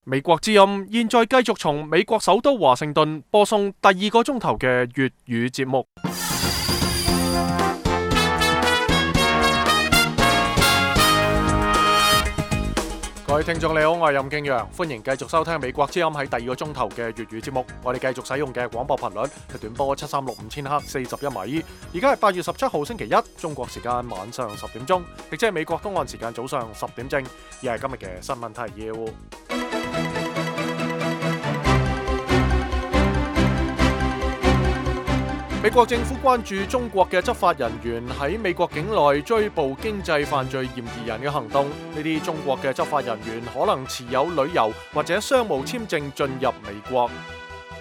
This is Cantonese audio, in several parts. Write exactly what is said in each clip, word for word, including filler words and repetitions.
美國之音現在繼續從美國首都華盛頓播送第二個鐘頭嘅粵語節目。各位聽眾你好，我係任敬陽，歡迎繼續收聽美國之音喺第二個鐘頭嘅粵語節目。我哋繼續使用嘅廣播頻率係短波七三六五千赫四十一米。而家係八月十七號星期一，中國時間晚上十點鐘，亦即係美國東岸時間早上十點正。而係今日嘅新聞提要。美國政府關注中國嘅執法人員喺美國境內追捕經濟犯罪嫌疑人嘅行動。呢啲中國嘅執法人員可能持有旅遊或者商務簽證進入美國。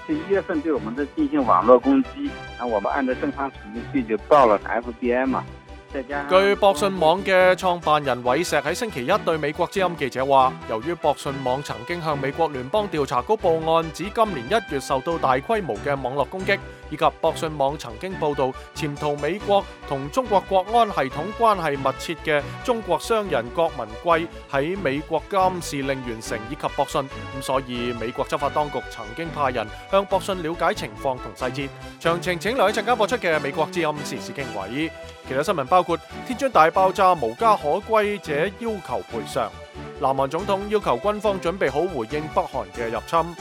是一月份對我們的進行網絡攻擊，那我們按照正常程序就報了 F B I 嘛。據博信網嘅創辦人韋石喺星期一對美國之音記者話，由於博信網曾經向美國聯邦調查局報案，指今年一月受到大規模嘅網絡攻擊，以及博信網曾經報道潛逃美國同中國國安系統關係密切嘅中國商人郭文貴喺美國監視令完成，以及博信，咁所以美國執法當局曾經派人向博信了解情況同細節。詳情請留喺陣間播出嘅美國之音時事經緯。其他新聞包括天津大爆炸無家可歸者要求賠償，南韓總統要求軍方準備好回應北韓嘅入侵，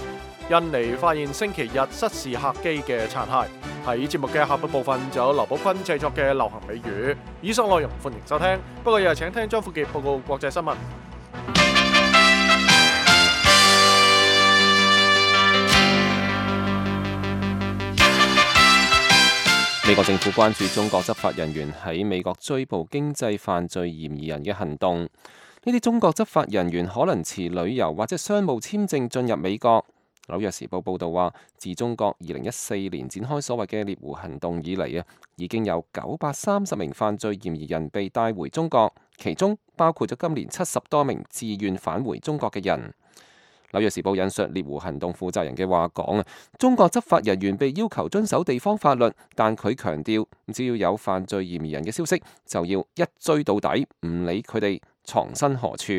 印尼發現星期日失事客機嘅殘骸。喺節目嘅下半部分就有劉寶坤製作嘅流行美語。以上內容歡迎收聽，不過又係請聽張富傑報告國際新聞。美國政府關注中國執法人員喺美國追捕經濟犯罪嫌疑人嘅行動。呢啲中國執法人員可能持旅遊或者商務簽證進入美國。紐約時報報導話，自中國二零一四年展開所謂嘅獵狐行動以嚟啊，已經有九百三十名犯罪嫌疑人被帶回中國，其中包括咗今年七十多名自願返回中國嘅人。紐約時報引述獵狐行動負責人嘅話講啊，中國執法人員被要求遵守地方法律，但佢強調，只要有犯罪嫌疑人嘅消息，就要一追到底，唔理佢哋藏身何處。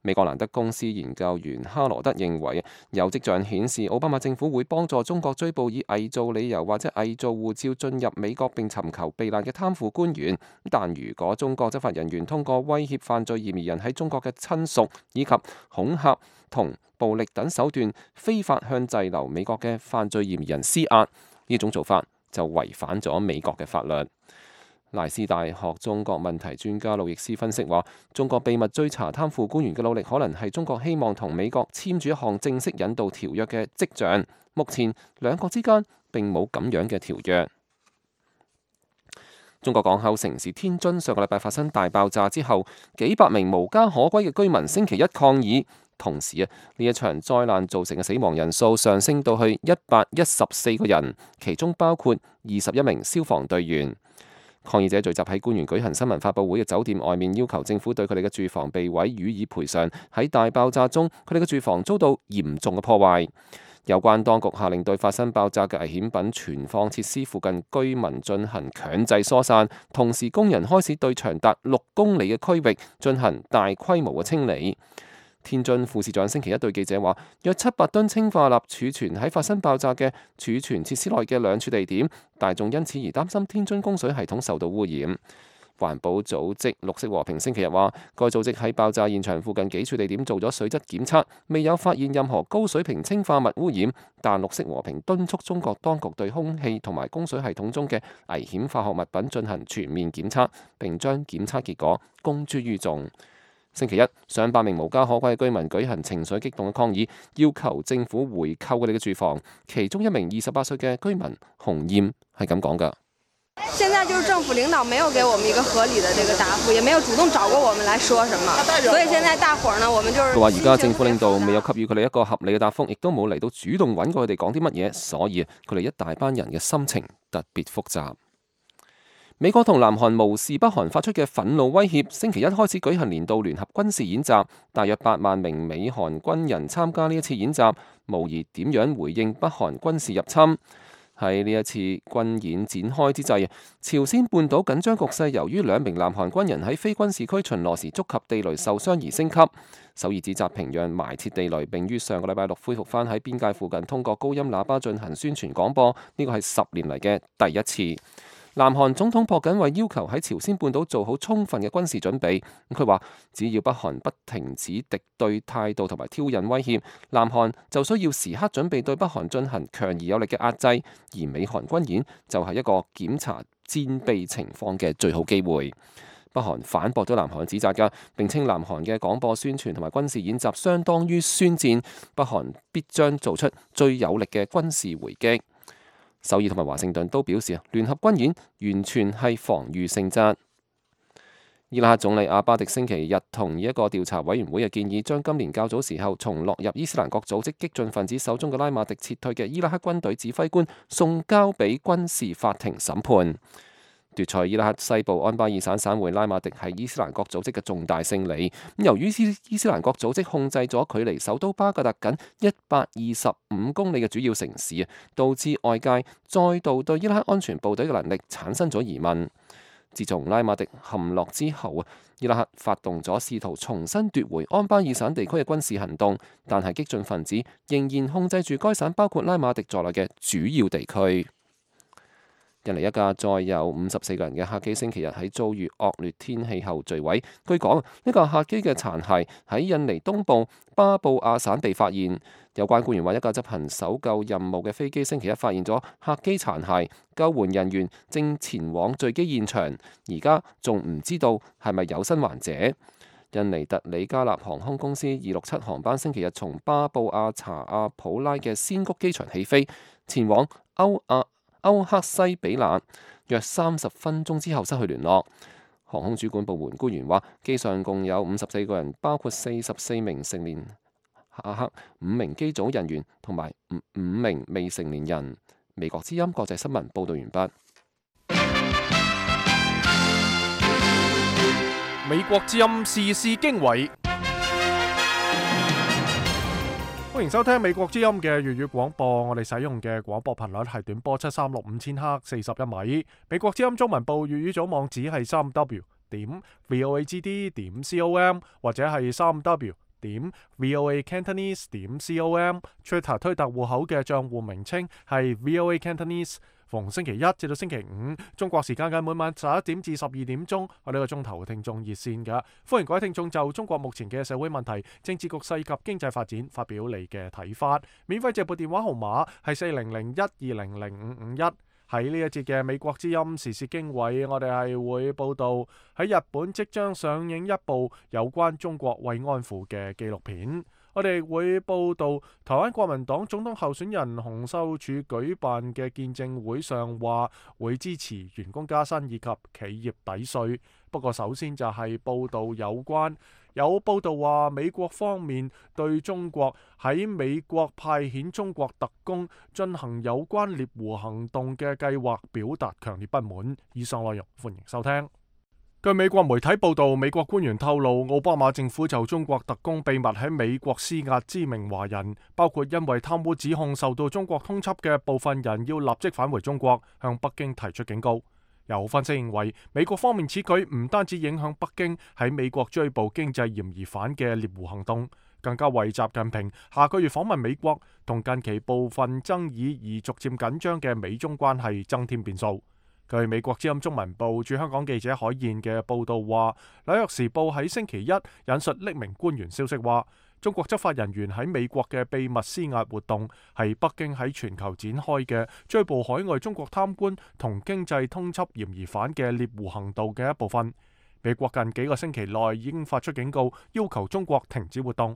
美國蘭德公司研究員哈羅德認為，有跡象顯示奧巴馬政府會幫助中國追捕以偽造理由或者偽造護照進入美國並尋求避難嘅貪腐官員。但如果中國執法人員通過威脅犯罪嫌疑人喺中國嘅親屬，以及恐嚇同暴力等手段非法向滯留美國嘅犯罪嫌疑人施壓，呢種做法就違反咗美國嘅法律。萊斯大學中國問題專家路易斯分析話，中國秘密追查貪腐官員嘅努力，可能係中國希望同美國簽署一項正式引渡條約嘅跡象。目前兩國之間並冇咁樣嘅條約。中國港口城市天津上個禮拜發生大爆炸之後，幾百名無家可歸嘅居民星期一抗議。同時啊，呢一場災難造成嘅死亡人數上升到去一百一十四個人，其中包括二十一名消防隊員。抗議者聚集喺官員舉行新聞發佈會嘅酒店外面，要求政府對佢哋嘅住房被毀予以賠償。喺大爆炸中，佢哋嘅住房遭到嚴重嘅破壞。有關當局下令對發生爆炸嘅危險品存放設施附近居民進行強制疏散，同時工人開始對長達六公里嘅區域進行大規模嘅清理。天津副市長星期一對記者話，約七百噸氰化鈉儲存喺發生爆炸嘅儲存設施內嘅兩處地點，大眾因此而擔心天津供水系統受到污染。環保組織綠色和平星期日話，該組織喺爆炸現場附近幾處地點做咗水質檢測，未有發現任何高水平氰化物污染，但綠色和平敦促中國當局對空氣同埋供水系統中嘅危險化學物品進行全面檢測，並將檢測結果公諸於眾。星期一，上百名無家可歸嘅居民舉行情緒激動嘅抗議，要求政府回購佢哋嘅住房。其中一名二十八歲嘅居民洪燕係咁講㗎。現在就是政府領導沒有給我們一個合理的這個答覆，也沒有主動找過我們來說什麼，所以現在大伙兒呢，我們就是佢話而家政府領導未有給予佢哋一個合理嘅答覆，亦都冇嚟到主動揾過佢哋講啲乜嘢，所以佢哋一大班人嘅心情特別複雜。美國同南韓無視北韓發出嘅憤怒威脅，星期一開始舉行年度聯合軍事演習，大約八萬名美韓軍人參加呢一次演習，模擬點樣回應北韓軍事入侵。喺呢一次軍演展開之際，朝鮮半島緊張局勢由於兩名南韓軍人喺非軍事區巡邏時觸及地雷受傷而升級。首爾指責平壤埋設地雷，並於上個禮拜六恢復返喺邊界附近通過高音喇叭進行宣傳廣播，呢個係十年嚟嘅第一次。南韓總統朴槿惠要求喺朝鮮半島做好充分嘅軍事準備。佢話只要北韓不停止敵對態度同埋挑釁威脅，南韓就需要時刻準備對北韓進行強而有力嘅壓制。而美韓軍演就係一個檢查戰備情況嘅最好機會。北韓反駁咗南韓嘅指責㗎，並稱南韓嘅廣播宣傳同埋軍事演習相當於宣戰，北韓必將做出最有力嘅軍事回擊。首爾同埋華盛頓都表示，聯合軍演完全係防禦性質。伊拉克總理阿巴迪星期日同意一個調查委員會嘅建議，將今年較早時候從落入伊斯蘭國組織激進分子手中嘅拉馬迪撤退嘅伊拉克軍隊指揮官送交俾軍事法庭審判。奪取伊拉克西部安巴爾省省會拉馬迪係伊斯蘭國組織嘅重大勝利。由於伊斯蘭國組織控制咗距離首都巴格達僅一百二十五公里嘅主要城市啊，導致外界再度對伊拉克安全部隊嘅能力產生咗疑問。自從拉馬迪陷落之後啊，伊拉克發動咗試圖重新奪回安巴爾省地區嘅軍事行動，但係激進分子仍然控制住該省包括拉馬迪在內嘅主要地區。印尼一架載有五十四個人嘅客機星期日喺遭遇惡劣天氣後墜毀。據講，呢架客機嘅殘骸喺印尼東部巴布亞省被發現。有關官員話，一架執行搜救任務嘅飛機星期一發現咗客機殘骸，救援人員正前往墜機現場，而家仲唔知道係咪有生還者。印尼特里加納航空公司二六七航班星期日從巴布亞查亞普拉嘅仙谷機場起飛，前往歐亞歐克西比納，約三十分鐘之後失去聯絡。航空主管部門官員話，機上共有五十四個人，包括四十四名成年客客、五名機組人員同埋五五名未成年人。美國之音國際新聞報道完畢。美國之音時事經緯。歡迎收聽美國之音嘅粵語廣播，我哋使用嘅廣播頻率係短波七三六五千赫四十一米。美國之音中文部粵語組網址係三 w 點 voagd 點 com 或者係三 w 點 voa cantonese 點 com。Twitter 推特戶口嘅賬戶名稱係 voa cantonese。逢星期一至到星期五，中國時間嘅每晚十一點至十二點鐘，我呢個鐘頭嘅聽眾熱線㗎，歡迎各位聽眾就中國目前嘅社會問題、政治局勢及經濟發展發表你嘅睇法。免費直播電話號碼係四零零一二零零五五一。喺呢一節嘅美國之音時事經緯，我哋係會報道喺日本即將上映一部有關中國慰安婦嘅紀錄片。我哋會報道台灣國民黨總統候選人洪秀柱舉辦嘅見證會上話會支持員工加薪以及企業抵稅。不過首先就係報道有關有報道話美國方面對中國喺美國派遣中國特工進行有關獵狐行動嘅計劃表達強烈不滿。以上內容歡迎收聽。據美國媒體報道，美國官員透露，奧巴馬政府就中國特工秘密喺美國施壓知名華人，包括因為貪污指控受到中國通緝嘅部分人要立即返回中國，向北京提出警告。有分析認為，美國方面此舉唔單止影響北京喺美國追捕經濟嫌疑犯嘅獵狐行動，更加為習近平下個月訪問美國同近期部分爭議而逐漸緊張嘅美中關係增添變數。據美國之音中文部駐香港記者海燕嘅報道話，紐約時報喺星期一引述匿名官員消息話，中國執法人員喺美國嘅秘密施壓活動係北京喺全球展開嘅追捕海外中國貪官同經濟通緝嫌疑犯嘅獵狐行動嘅一部分。美國近幾個星期內已經發出警告，要求中國停止活動。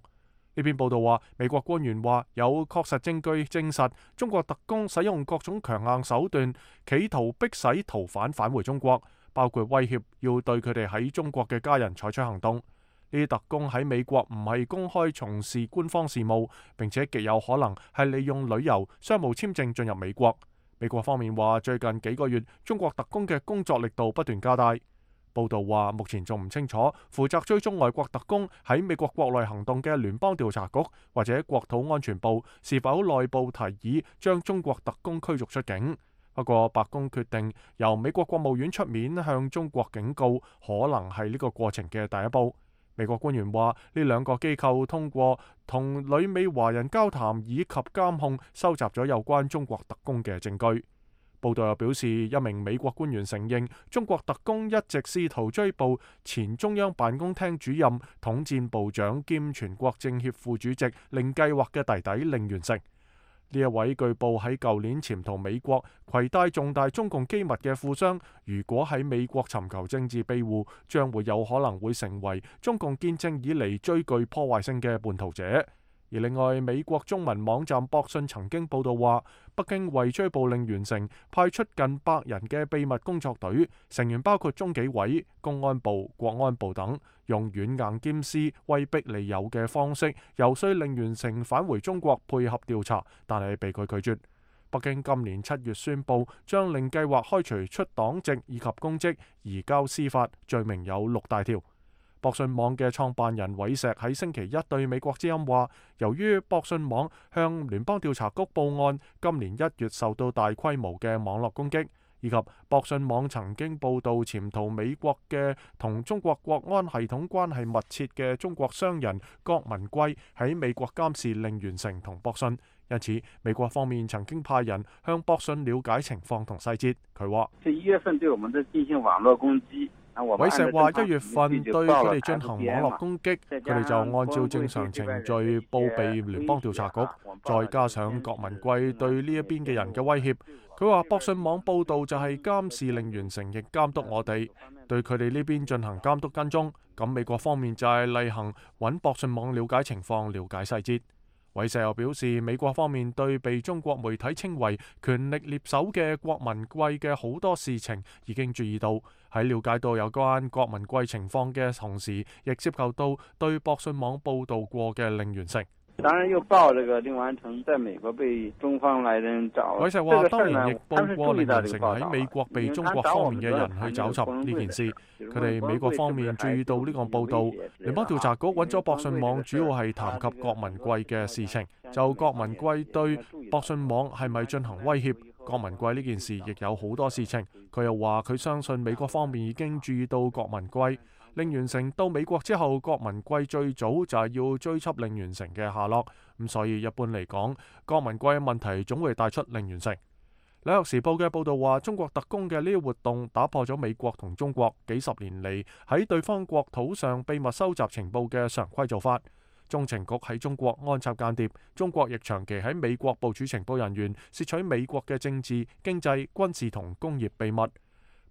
呢篇報道話，美國官員話有確實證據證實中國特工使用各種強硬手段，企圖迫使逃犯返回中國，包括威脅要對佢哋喺中國嘅家人採取行動。呢啲特工喺美國唔係公開從事官方事務，並且極有可能係利用旅遊、商務簽證進入美國。美國方面話，最近幾個月中國特工嘅工作力度不斷加大。報道話，目前仲唔清楚負責追蹤外國特工喺美國國內行動嘅聯邦調查局或者國土安全部是否內部提議將中國特工驅逐出境。不過，白宮決定由美國國務院出面向中國警告，可能係呢個過程嘅第一步。美國官員話，呢兩個機構通過同旅美華人交談以及監控，收集咗有關中國特工嘅證據。報道又表示，一名美國官員承認，中國特工一直試圖追捕前中央辦公廳主任、統戰部長兼全國政協副主席令計劃嘅弟弟令元成。呢一位據報喺舊年潛逃美國、攜帶重大中共機密嘅富商，如果喺美國尋求政治庇護，將會有可能會成為中共建政以嚟最具破壞性嘅叛徒者。而另外，美國中文網站博訊曾經報道話，北京為追捕令元成，派出近百人嘅秘密工作隊，成員包括中紀委、公安部、國安部等，用軟硬兼施、威逼利誘嘅方式，遊說令元成返回中國配合調查，但係被佢拒絕。北京今年七月宣布，將令計劃開除出黨籍以及公職，移交司法，罪名有六大條。博訊網嘅創辦人韋石喺星期一對美國之音話，由於博訊網向聯邦調查局報案，今年一月受到大規模嘅網絡攻擊，以及博訊網曾經報導潛逃美國嘅同中國國安系統關係密切嘅中國商人郭文貴喺美國監視令元成同博訊，因此美國方面曾經派人向博訊了解情況同細節。佢話：一月份對我們的進行網絡攻擊。韋石話：一月份對佢哋進行網絡攻擊，佢哋就按照正常程序報備聯邦調查局，再加上郭文貴對呢一邊嘅人嘅威脅。佢話博訊網報導就係監視令元成，亦監督我哋，對佢哋呢邊進行監督跟蹤。咁美國方面就係例行揾博訊網了解情況、了解細節。韋石又表示，美國方面對被中國媒體稱為權力獵手嘅郭文貴嘅好多事情已經注意到，喺了解到有關郭文貴情況嘅同時，亦涉及到對博訊網報導過嘅令元成。當然又報這個令元成在美國被中方來人找。韋石話：當然亦報過令元成喺美國被中國方面嘅人去找尋呢件事。佢哋美國方面注意到呢個報導，聯邦調查局揾咗博訊網，主要係談及郭文貴嘅事情。就郭文貴對博訊網係咪進行威脅，郭文貴呢件事亦有好多事情。佢又話佢相信美國方面已經注意到郭文貴。令元成到美國之後，郭文貴最早就係要追緝令元成嘅下落，咁所以一般嚟講，郭文貴嘅問題總會帶出令元成。紐約時報嘅報導話，中國特工嘅呢啲活動打破咗美國同中國幾十年嚟喺對方國土上秘密收集情報嘅常規做法。中情局喺中國安插間諜，中國亦長期喺美國部署情報人員，竊取美國嘅政治、經濟、軍事同工業秘密。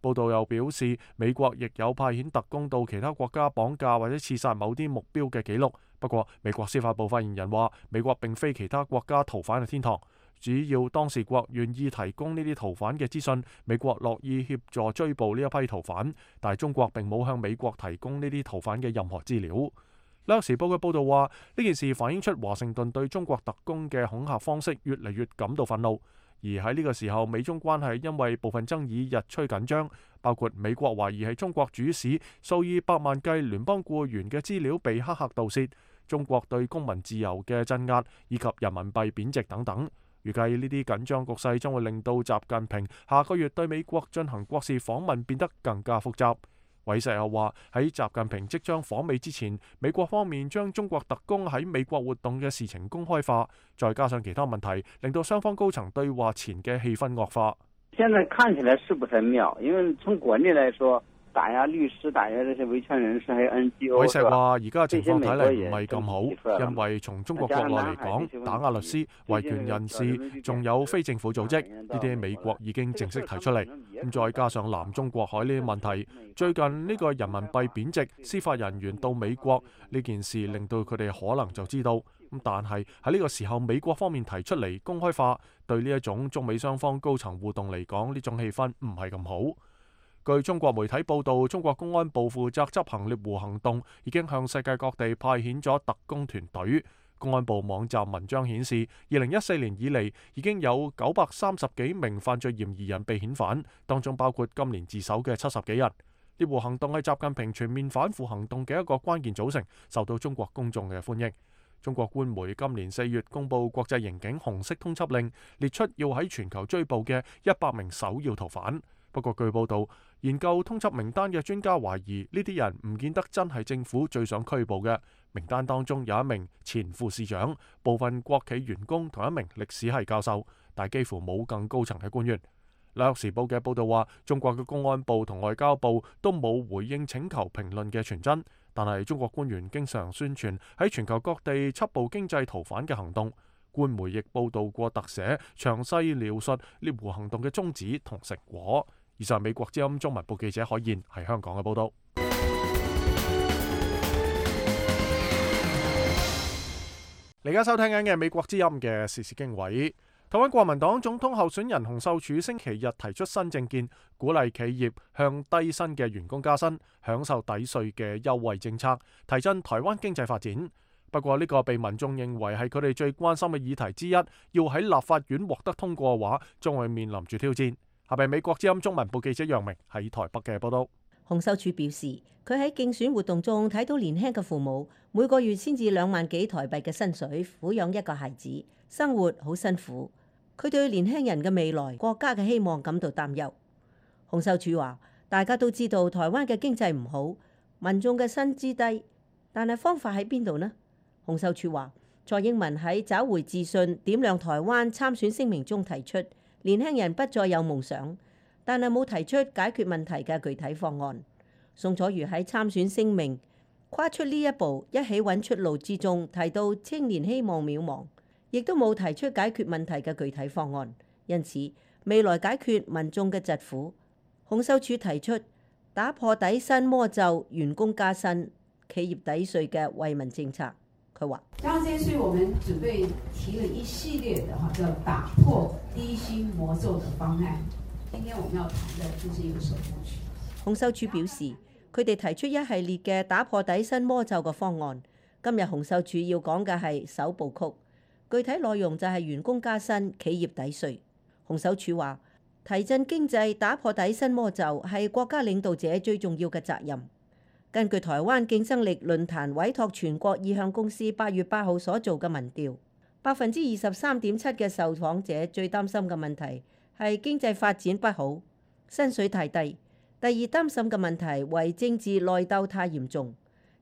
報道又表示，美國亦有派遣特工到其他國家綁架或者刺殺某啲目標嘅記錄。不過，美國司法部發言人話，美國並非其他國家逃犯嘅天堂，只要當事國願意提供呢啲逃犯嘅資訊，美國樂意協助追捕呢一批逃犯。但係中國並冇向美國提供呢啲逃犯嘅任何資料。紐約時報嘅報導話，呢件事反映出華盛頓對中國特工嘅恐嚇方式越嚟越感到憤怒。而喺呢個時候，美中關係因為部分爭議日趨緊張，包括美國懷疑係中國主使數以百萬計聯邦僱員嘅資料被黑客盜竊，中國對公民自由嘅鎮壓以及人民幣貶值等等。預計呢啲緊張局勢將會令到習近平下個月對美國進行國事訪問變得更加複雜。韋石又話，喺習近平即將訪美之前，美國方面將中國特工喺美國活動嘅事情公開化，再加上其他問題，令到雙方高層對話前嘅氣氛惡化。現在看起來是不是很妙？因為從國內來說，打壓律師、打壓這些維權人士，還有 N G O。韋石話：而家情況睇嚟唔係咁好，因為從中國國內嚟講，打壓律師、維權人士，仲有非政府組織，呢啲美國已經正式提出嚟。咁再加上南中國海呢啲問題，最近呢個人民幣貶值、司法人員到美國呢件事，令到佢哋可能就知道。咁但係喺呢個時候，美國方面提出嚟公開化，對呢一種中美雙方高層互動嚟講，呢種氣氛唔係咁好。據中國媒體報道，中國公安部負責執行獵狐行動，已經向世界各地派遣咗特工團隊。公安部網站文章顯示，二零一四年以嚟已經有九百三十幾名犯罪嫌疑人被遣返，當中包括今年自首嘅七十幾人。獵狐行動係習近平全面反腐行動嘅一個關鍵組成，受到中國公眾嘅歡迎。中國官媒今年四月公布國際刑警紅色通緝令，列出要喺全球追捕嘅一百名首要逃犯。不過據報道，研究通緝名單嘅專家懷疑呢啲人唔見得真係政府最想拘捕嘅。名單當中有一名前副市長、部分國企員工同一名歷史系教授，但幾乎冇更高層嘅官員。紐約時報嘅報道話，中國嘅公安部同外交部都冇回應請求評論嘅傳真，但係中國官員經常宣傳喺全球各地緝捕經濟逃犯嘅行動。官媒亦報道過特寫，詳細描述獵狐行動嘅宗旨同成果。以上美國之音中文部記者海燕喺香港嘅報道。你而家收聽緊嘅美國之音嘅時事經緯。台灣國民黨總統候選人洪秀柱星期日提出新政見，鼓勵企業向低薪嘅員工加薪，享受抵稅嘅優惠政策，提振台灣經濟發展。不過呢個被民眾認為係佢哋最關心嘅議題之一，要喺立法院獲得通過嘅話，將會面臨住挑戰。下邊美國之音中文部記者楊明喺台北嘅報道。洪秀柱表示，佢喺競選活動中睇到年輕嘅父母每個月先至兩萬幾台幣嘅薪水撫養一個孩子，生活好辛苦。佢對年輕人嘅未來、國家嘅希望感到擔憂。洪秀柱話：大家都知道台灣嘅經濟唔好，民眾嘅薪資低，但係方法喺邊度呢？洪秀柱話：蔡英文喺找回自信、點亮台灣參選聲明中提出，年輕人不再有夢想，但係冇提出解決問題嘅具體方案。宋楚瑜喺參選聲明跨出呢一步，一起揾出路之中提到青年希望渺茫，亦都冇提出解決問題嘅具體方案。因此，未來解決民眾嘅疾苦，洪秀柱提出打破底薪魔咒、員工加薪、企業抵稅嘅惠民政策。佢話：加上這些稅，我們準備提了一系列的哈，叫打破低薪魔咒的方案。今天我們要談的就是一個首部曲。洪秀柱表示，佢哋提出一系列嘅打破底薪魔咒嘅方案。今日洪秀柱要講嘅係首部曲，具體內容就係員工加薪、企業抵稅。洪秀柱話：提振經濟、打破底薪魔咒係國家領導者最重要嘅責任。根據台灣競爭力論壇委託全國意向公司八月八號所做嘅民調，百分之二十三點七嘅受訪者最擔心嘅問題係經濟發展不好、薪水太低。第二擔心嘅問題為政治內鬥太嚴重，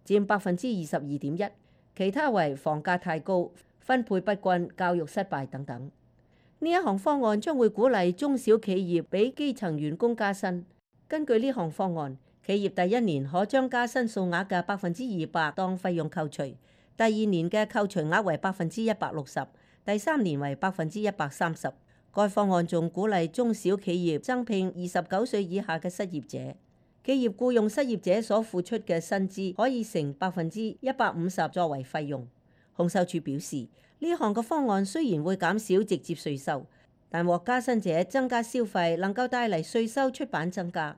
佔百分之二十二點一，其他為房價太高、分配不均、教育失敗等等。呢一項方案將會鼓勵中小企業俾基層員工加薪。根據呢項方案，企業第一年可將加薪數額嘅百分之二百當費用扣除，第二年嘅扣除額為百分之一百六十，第三年為百分之一百三十。該方案仲鼓勵中小企業增聘二十九歲以下嘅失業者，企業僱用失業者所付出嘅薪資可以乘百分之一百五十作為費用。洪秀柱表示，呢項嘅方案雖然會減少直接稅收，但獲加薪者增加消費，能夠帶嚟稅收出版增加，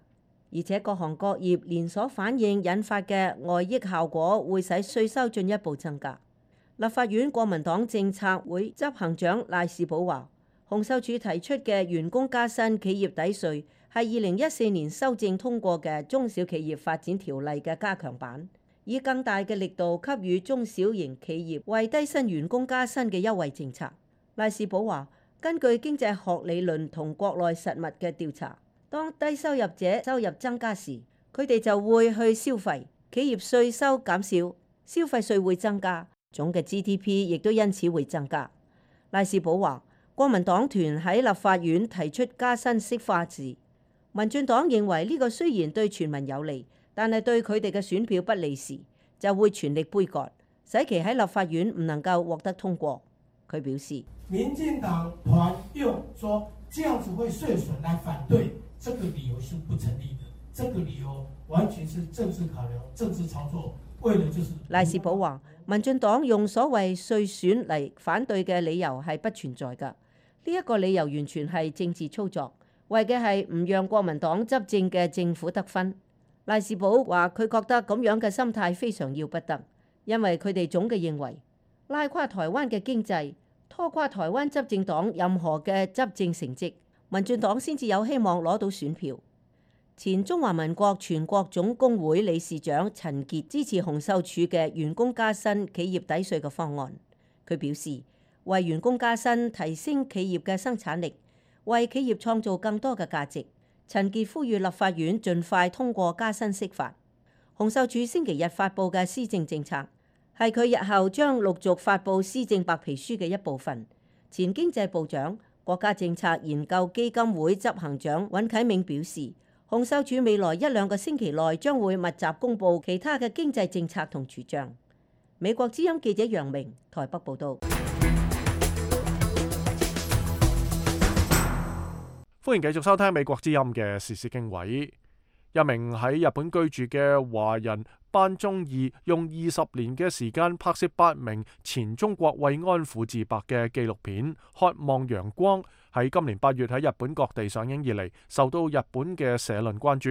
而且各行各業連鎖反應引發嘅外溢效果會使稅收進一步增加。立法院國民黨政策會執行長賴士葆話：洪秀柱提出嘅員工加薪、企業抵稅係二零一四年修正通過嘅中小企業發展條例嘅加強版，以更大嘅力度給予中小型企業為低薪員工加薪嘅優惠政策。賴士葆話：根據經濟學理論同國內實物嘅調查，當低收入者收入增加時，佢哋就會去消費，企業稅收減少，消費稅會增加，總嘅 G D P 亦都因此會增加。賴士葆話：國民黨團喺立法院提出加薪釋法時，民進黨認為呢個雖然對全民有利，但係對佢哋嘅選票不利時，就會全力杯葛，使其喺立法院唔能夠獲得通過。佢表示，民進黨團用說這樣子會稅損來反對，這個理由是不成立的，這個理由完全是政治考量、政治操作，為了就是。賴士葆話，民進黨用所謂稅損嚟反對嘅理由係不存在㗎。呢一個理由完全係政治操作，為嘅係唔讓國民黨執政嘅政府得分。賴士葆話：佢覺得咁樣嘅心態非常要不得，因為佢哋總嘅認為拉垮台灣嘅經濟、拖垮台灣執政黨任何嘅執政成績，民進黨先至有希望攞到選票。前中華民國全國總工會理事長陳傑支持洪秀柱嘅員工加薪、企業抵稅嘅方案。佢表示，為員工加薪提升企業嘅生產力，為企業創造更多嘅價值。陳傑呼籲立法院盡快通過加薪釋法。洪秀柱星期日發布嘅施政政策係佢日後將陸續發布施政白皮書嘅一部分。前經濟部長、國家政策研究基金會執行長尹啟明表示，洪秀柱未來一兩個星期內將會密集公布其他嘅經濟政策同主張。美國之音記者楊明台北報道。歡迎繼續收聽美國之音嘅時事經緯。一名喺日本居住嘅華人班宗義用二十年嘅時間拍攝八名前中國慰安婦自白嘅紀錄片《渴望陽光》，喺今年八月喺日本各地上映以嚟，受到日本嘅社論關注。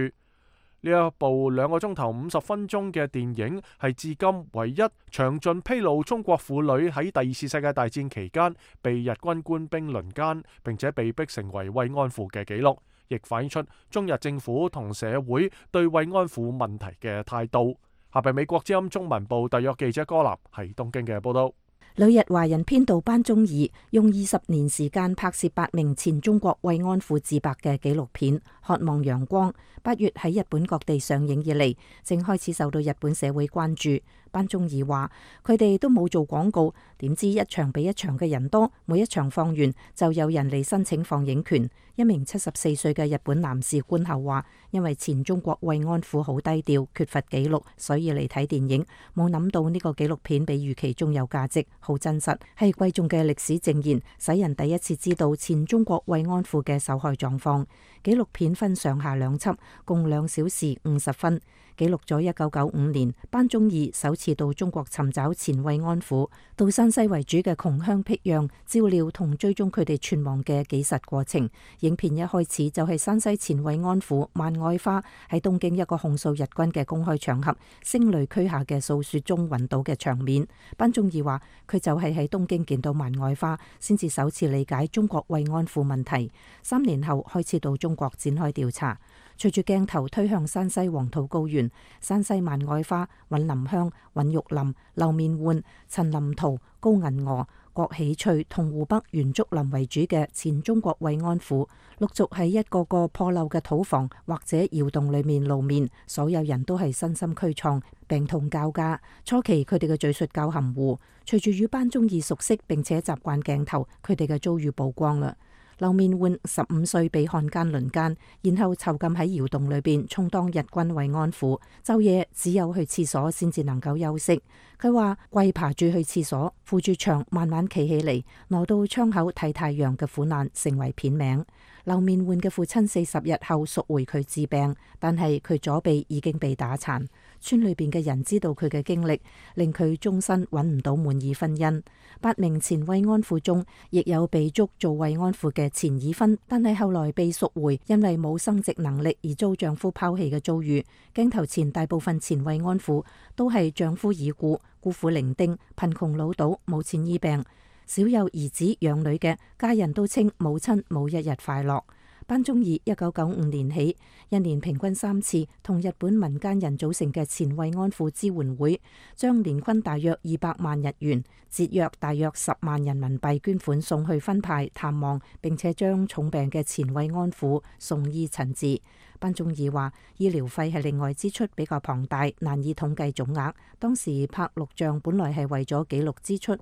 呢一部兩個鐘頭五十分鐘嘅電影係至今唯一詳盡披露中國婦女喺第二次世界大戰期間被日軍官兵輪姦，並且被逼成為慰安婦嘅紀錄，亦反映出中日政府同社會對慰安婦問題嘅態度。下邊美國之音中文部特約記者柯南喺東京嘅報道。旅日華人編導班宗義用二十年時間拍攝八名前中國慰安婦自白嘅紀錄片《渴望陽光》，八月喺日本各地上映以嚟，正開始受到日本社會關注。班宗義話：佢哋都冇做廣告，點知一場比一場嘅人多，每一場放完就有人嚟申請放映權。一名七十四歲嘅日本男士觀後話：因為前中國慰安婦好低調，缺乏記錄，所以嚟睇電影。冇諗到呢個紀錄片比預期中有價值，好真實，係貴重嘅歷史證言，使人第一次知道前中國慰安婦嘅受害狀況。紀錄片分上下兩輯，共兩小時五十分，記錄咗一九九五年班宗義首次到中國尋找前慰安婦，到山西為主嘅窮鄉僻壤照料同追蹤佢哋存亡嘅紀實過程。影片一開始就係山西前慰安婦萬愛花喺東京一個控訴日軍嘅公開場合聲淚俱下嘅訴說中暈倒嘅場面。班宗義話：佢就係喺東京見到萬愛花，先至首次理解中國慰安婦問題。三年後開始到中國展開調查。隨住鏡頭推向山西黃土高原，山西萬愛花、尹林香、尹玉林、劉面煥、陳林圖、高銀娥、郭喜翠同湖北袁竹林為主嘅前中國慰安婦，陸續喺一個個破漏嘅土房或者窑洞裏面露面，所有人都係身心俱創，病痛交加。初期佢哋嘅敘述較含糊，隨住與班宗義熟悉並且習慣鏡頭，佢哋嘅遭遇曝光啦。劉面煥十五歲被漢奸輪姦，然後囚禁喺窑洞裏邊充當日軍慰安婦，晝夜只有去廁所先至能夠休息。佢話跪爬住去廁所，扶住牆慢慢企起嚟，挪到窗口睇太陽嘅苦難成為片名。劉面煥嘅父親四十日後贖回佢治病，但係佢左臂已經被打殘。村裏邊嘅人知道佢嘅經歷，令佢終身揾唔到滿意婚姻。八名前慰安婦中，亦有被捉做慰安婦嘅前已婚，但係後來被贖回，因為冇生殖能力而遭丈夫拋棄嘅遭遇。鏡頭前大部分前慰安婦都係丈夫已故、孤苦伶仃、貧窮潦倒、冇錢醫病，少有兒子養女嘅，家人都稱母親冇一日快樂。班宗義一九九五年起，一年平均三次同日本民間人組成嘅前慰安婦支援會，將年均大約二百萬日元，折約大約十萬人民幣捐款送去分派探望，並且將重病嘅前慰安婦送醫診治。班宗義話：醫療費係另外支出比較龐大，難以統計總額。當時拍錄像本來係為咗記錄支出。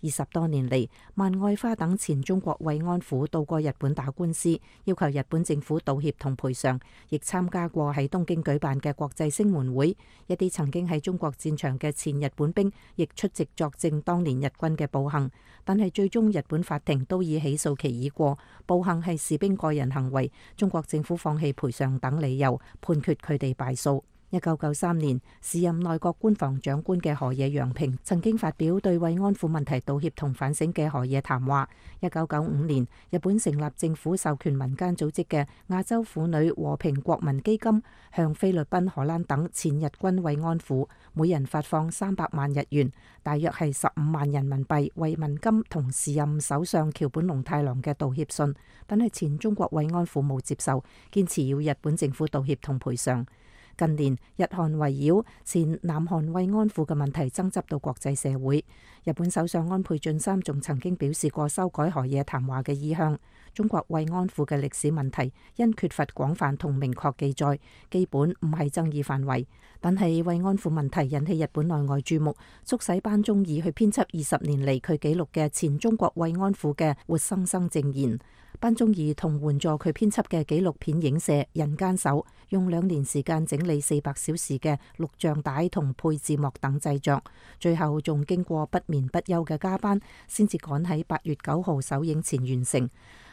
二十多年嚟，萬愛花等前中國慰安婦到過日本打官司，要求日本政府道歉同賠償，亦參加過喺東京舉辦嘅國際聲援會。一啲曾經喺中國戰場嘅前日本兵亦出席作證當年日軍嘅暴行，但係最終日本法庭都以起訴期已過，暴行係士兵個人行為，中國政府放棄賠償等理由，判決佢哋敗訴。一九九三年，時任內閣官房長官嘅河野洋平曾經發表對慰安婦問題道歉同反省嘅河野談話。一九九五年，日本成立政府授權民間組織嘅亞洲婦女和平國民基金，向菲律賓、荷蘭等前日軍慰安婦每人發放三百萬日元，大約係十五萬人民幣慰問金同時任首相橋本龍太郎嘅道歉信，但係前中國慰安婦冇接受，堅持要日本政府道歉同賠償。近年，日韓圍繞前南韓慰安婦嘅問題爭執到國際社會。日本首相安倍晉三仲曾經表示過修改河野談話嘅意向。中國慰安婦嘅歷史問題因缺乏廣泛同明確記載，基本唔係爭議範圍。但係慰安婦問題引起日本內外注目，促使班忠義去編輯二十年嚟佢記錄嘅前中國慰安婦嘅活生生證言。班忠義同援助佢編輯嘅紀錄片影社人間手，用兩年時間整理四百小時嘅錄像帶同配字幕等製作，最後仲經過不眠不休嘅加班，先至趕喺八月九號首映前完成。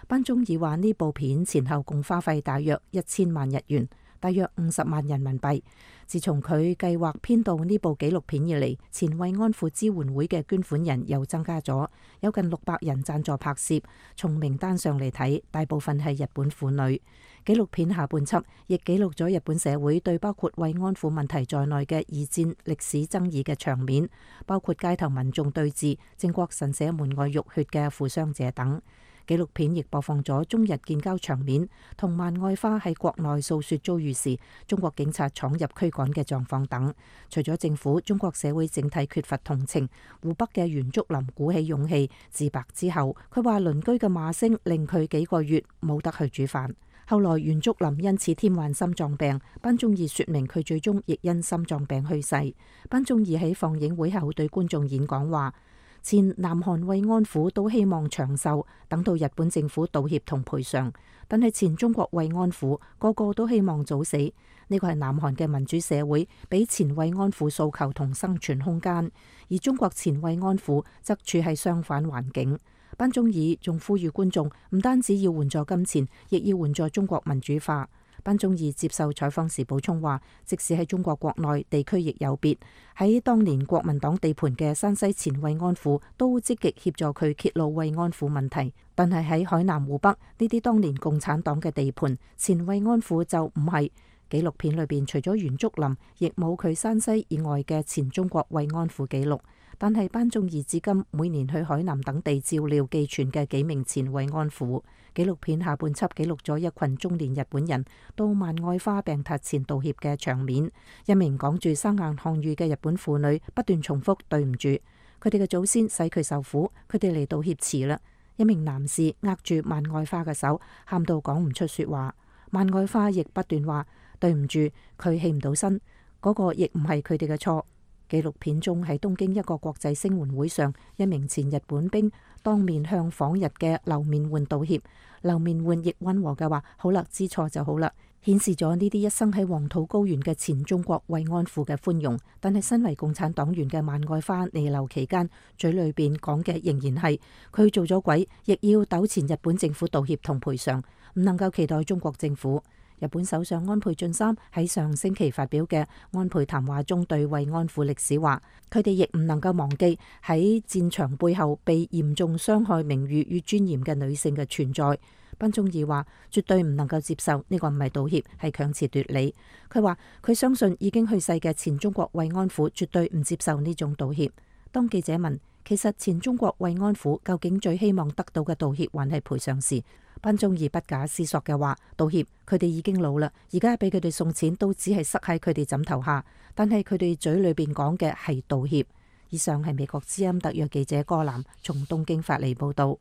班忠義話呢部片前後共花費大約一千萬日元，大約五十萬人民幣。自從佢計劃編導呢部紀錄片以嚟，前慰安婦支援會嘅捐款人又增加咗，有近六百人贊助拍攝。從名單上嚟睇，大部分係日本婦女。紀錄片下半輯亦記錄咗日本社會對包括慰安婦問題在內嘅二戰歷史爭議嘅場面，包括街頭民眾對峙、靖國神社門外浴血嘅負傷者等。紀錄片亦播放咗中日建交場面，同萬愛花喺國內訴說遭遇時中國警察闖入驅趕嘅狀況等。除咗政府，中國社會整體缺乏同情。湖北嘅袁竹林鼓起勇氣自白之後，佢話鄰居嘅罵聲令佢幾個月冇得去煮飯。後來袁竹林因此添患心臟病，班忠義說明佢最終亦因心臟病去世。班忠義喺放映會後對觀眾演講話，前南韓慰安婦都希望長壽，等到日本政府道歉同賠償。但係前中國慰安婦個個都希望早死。呢個係南韓嘅民主社會俾前慰安婦訴求同生存空間，而中國前慰安婦則處係相反環境。班忠義仲呼籲觀眾唔單止要援助金錢，亦要援助中國民主化。班忠義接受採訪時補充話，即使喺中國國內地區亦有別，喺當年國民黨地盤嘅山西前慰安婦都積極協助佢揭露慰安婦問題，但係喺海南湖北呢啲當年共產黨嘅地盤，前慰安婦就唔係。紀錄片裏邊除咗袁竹林，亦冇佢山西以外嘅前中國慰安婦記錄。但係班忠義至今每年去海南等地照料寄存嘅幾名前慰安婦。紀錄片下半輯記錄咗一群中年日本人到萬愛花病榻前道歉嘅場面。一名講住生硬漢語嘅日本婦女不斷重複對唔住，佢哋嘅祖先使佢受苦，佢哋嚟道歉遲啦。一名男士握住萬愛花嘅手，喊到講唔出說話。萬愛花亦不斷話對唔住，佢起唔到身，嗰、那個亦唔係佢哋嘅錯。紀錄片中喺東京一個國際聲援會上，一名前日本兵當面向訪日嘅劉面媛道歉。劉面媛亦溫和嘅話：好啦，知錯就好啦，顯示咗呢啲一生喺黃土高原嘅前中國慰安婦嘅寬容。但係身為共產黨員嘅萬愛花彌留期間，嘴裏邊講嘅仍然係佢做咗鬼，亦要糾纏日本政府道歉同賠償，唔能夠期待中國政府。日本首相安倍晉三喺上星期發表嘅安倍談話中對慰安婦歷史話，佢哋亦唔能夠忘記喺戰場背後被嚴重傷害名譽與尊嚴嘅女性嘅存在。班忠義話絕對唔能夠接受，呢個唔係道歉，係強詞奪理。佢話佢相信已經去世嘅前中國慰安婦絕對唔接受呢種道歉。當記者問其實前中國慰安婦究竟最希望得到嘅道歉還係賠償時，班忠義不假思索嘅話，道歉，佢哋已經老啦，而家俾佢哋送錢都只係塞喺佢哋枕頭下，但係佢哋嘴裏邊講嘅係道歉。以上係美國之音特約記者柯南從東京發嚟報道。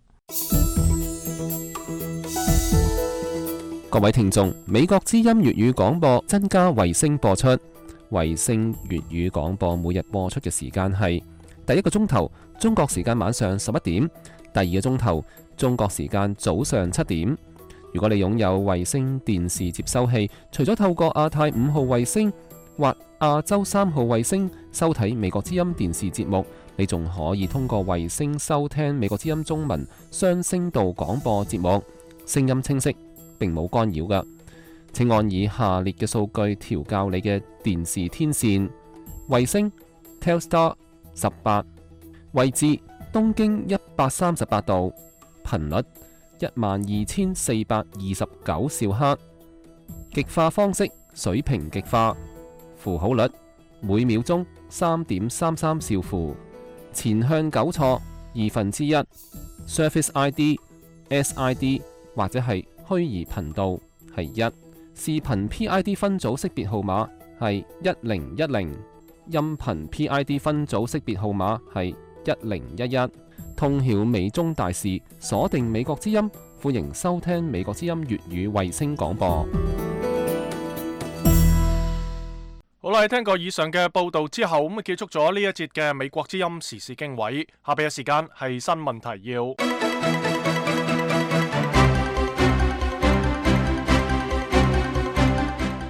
各位聽眾，美國之音粵語廣播增加衛星播出，衛星粵語廣播每日播出嘅時間係第一個鐘頭中國時間晚上十一點，第二個鐘頭中國時間早上七點。如果你擁有衛星電視接收器，除咗透過亞太五號衛星或亞洲三號衛星收睇美國之音電視節目，你仲可以通過衛星收聽美國之音中文雙聲道廣播節目，聲音清晰，並冇干擾㗎。請按以下列嘅數據調校你嘅電視天線：衛星 Telstar 十八，位置東經一百三十八度，頻率一萬二千四百二十九兆赫，極化方式水平極化，符號率每秒鐘三點三三兆符，前向糾錯二分之一 ，Service I D、S I D 或者係虛擬頻道係一，視頻 P I D 分組識別號碼係一零一零，音頻 P I D 分組識別號碼係一零一一。通曉美中大事，鎖定美國之音，歡迎收聽美國之音粵語衛星廣播。好啦，聽過以上嘅報道之後，咁啊結束咗呢一節嘅美國之音時事經緯。下邊嘅時間係新聞提要。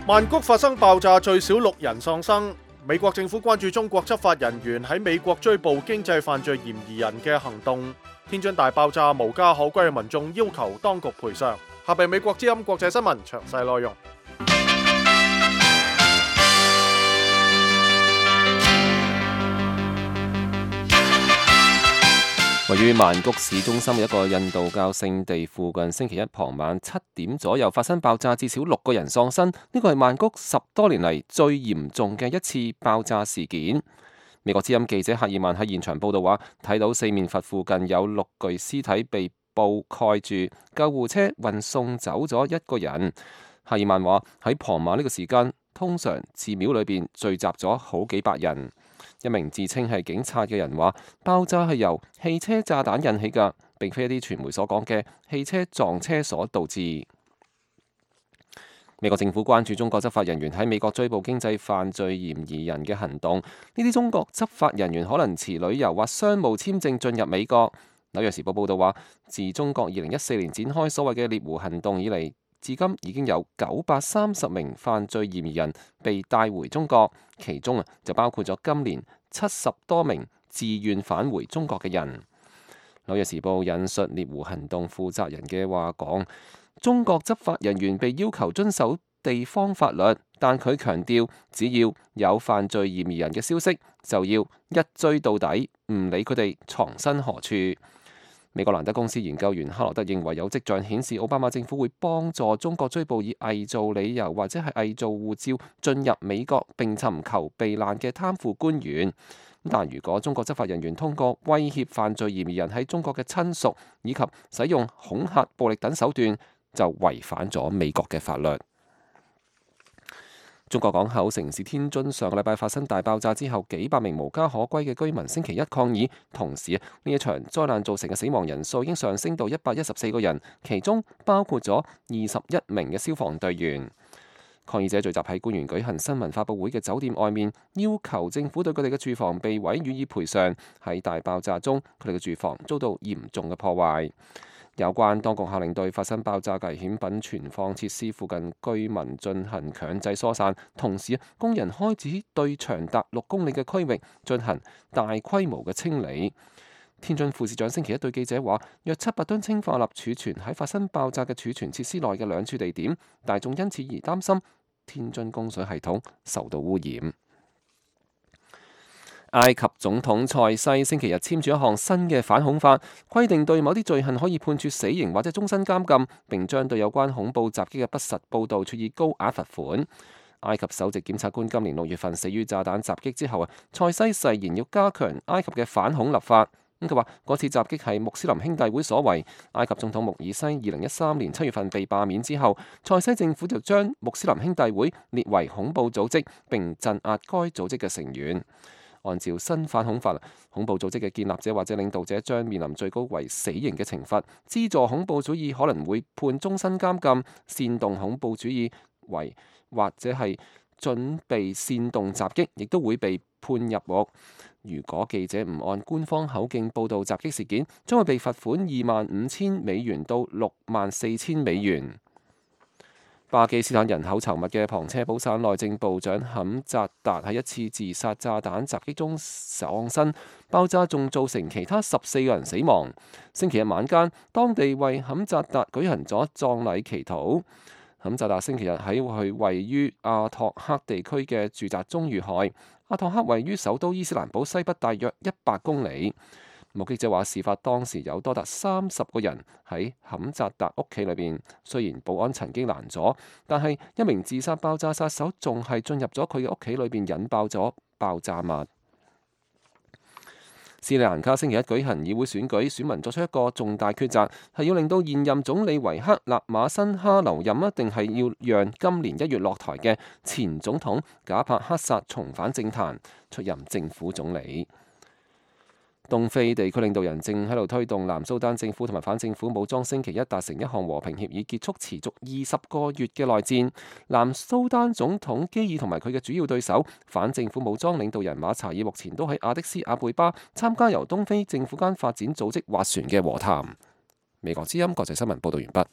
曼谷發生爆炸，最少六人喪生。美國政府關注中國執法人員喺美國追捕經濟犯罪嫌疑人嘅行動。天津大爆炸，無家可歸嘅民眾要求當局賠償。下邊美國之音國際新聞詳細內容。位於曼谷市中心嘅一個印度教聖地附近，星期一傍晚七點左右發生爆炸，至少六個人喪生。呢個係曼谷十多年嚟最嚴重嘅一次爆炸事件。美國之音記者赫爾曼喺現場報道話，睇到四面佛附近有六具屍體被布蓋住，救護車運送走咗一個人。赫爾曼話喺傍晚呢個時間，通常寺廟裏邊聚集咗好幾百人。一名自稱係警察嘅人話，爆炸係由汽車炸彈引起㗎，並非一啲傳媒所講嘅汽車撞車所導致。美國政府關注中國執法人員喺美國追捕經濟犯罪嫌疑人嘅行動。呢啲中國執法人員可能持旅遊或商務簽證進入美國。紐約時報報導話，自中國二零一四年展開所謂嘅獵狐行動以嚟，至今已經有九百三十名犯罪嫌疑人被帶回中國，其中啊就包括咗今年七十多名自願返回中國嘅人。紐約時報引述獵狐行動負責人嘅話講，中國執法人員被要求遵守地方法律，但佢強調，只要有犯罪嫌疑人嘅消息，就要一追到底，唔理佢哋藏身何處。美國蘭德公司研究員克羅德認為，有跡象顯示奧巴馬政府會幫助中國追捕以偽造理由或者係偽造護照進入美國並尋求避難嘅貪腐官員。但如果中國執法人員通過威脅犯罪嫌疑人喺中國嘅親屬以及使用恐嚇、暴力等手段，就違反咗美國嘅法律。中國港口城市天津上個禮拜發生大爆炸之後，幾百名無家可歸嘅居民星期一抗議，同時呢一場災難造成嘅死亡人數已經上升到一百一十四個人，其中包括咗二十一名嘅消防隊員。抗議者聚集喺官員舉行新聞發佈會嘅酒店外面，要求政府對佢哋嘅住房被毀予以賠償。喺大爆炸中，佢哋嘅住房遭到嚴重嘅破壞。有關當局下令對發生爆炸危險品存放設施附近居民進行強制疏散，同時工人開始對長達六公里嘅區域進行大規模嘅清理。天津副市長星期一對記者話，約七百噸氰化鈉儲存喺發生爆炸嘅儲存設施內嘅兩處地點，大眾因此而擔心天津供水系統受到污染。埃及總統塞西星期日簽署一項新嘅反恐法，規定對某啲罪行可以判處死刑或者終身監禁，並將對有關恐怖襲擊嘅不實報導處以高額罰款。埃及首席檢察官今年六月份死於炸彈襲擊之後啊，塞西誓言要加強埃及嘅反恐立法。咁佢話嗰次襲擊係穆斯林兄弟會所為。埃及總統穆爾西二零一三年七月份被罷免之後，塞西政府就將穆斯林兄弟會列為恐怖組織，並鎮壓該組織嘅成員。按照新反恐法，恐怖組織嘅建立者或者領導者將面臨最高為死刑嘅懲罰。資助恐怖主義可能會判終身監禁。煽動恐怖主義為或者係準備煽動襲擊，亦都會被判入獄。如果記者唔按官方口徑報導襲擊事件，將會被罰款二萬五千美元到六萬四千美元。巴基斯坦人口稠密嘅旁遮普省內政部長坎扎達喺一次自殺炸彈襲擊中喪生，爆炸仲造成其他十四個人死亡。星期日晚間，當地為坎扎達舉行咗葬禮祈禱。坎扎達星期日喺佢位於阿托克地區嘅住宅中遇害。阿托克位於首都伊斯蘭堡西北大約一百公里。目擊者話，事發當時有多達三十個人喺坎扎達屋企裏邊。雖然保安曾經攔阻，但係一名自殺爆炸殺手仲係進入咗佢嘅屋企裏邊，引爆咗爆炸物。斯里蘭卡星期一舉行議會選舉，選民作出一個重大抉擇，係要令到現任總理維克納馬辛哈留任，一定係要讓今年一月落台嘅前總統賈帕克薩重返政壇，出任政府總理。東非地區領導人正喺度推動南蘇丹政府同埋反政府武裝星期一達成一項和平協議，結束持續二十個月嘅內戰。南蘇丹總統基爾同埋佢嘅主要對手反政府武裝領導人馬查爾目前都喺亞的斯亞貝巴參加由東非政府間發展組織斡旋嘅和談。美國之音國際新聞報道完畢。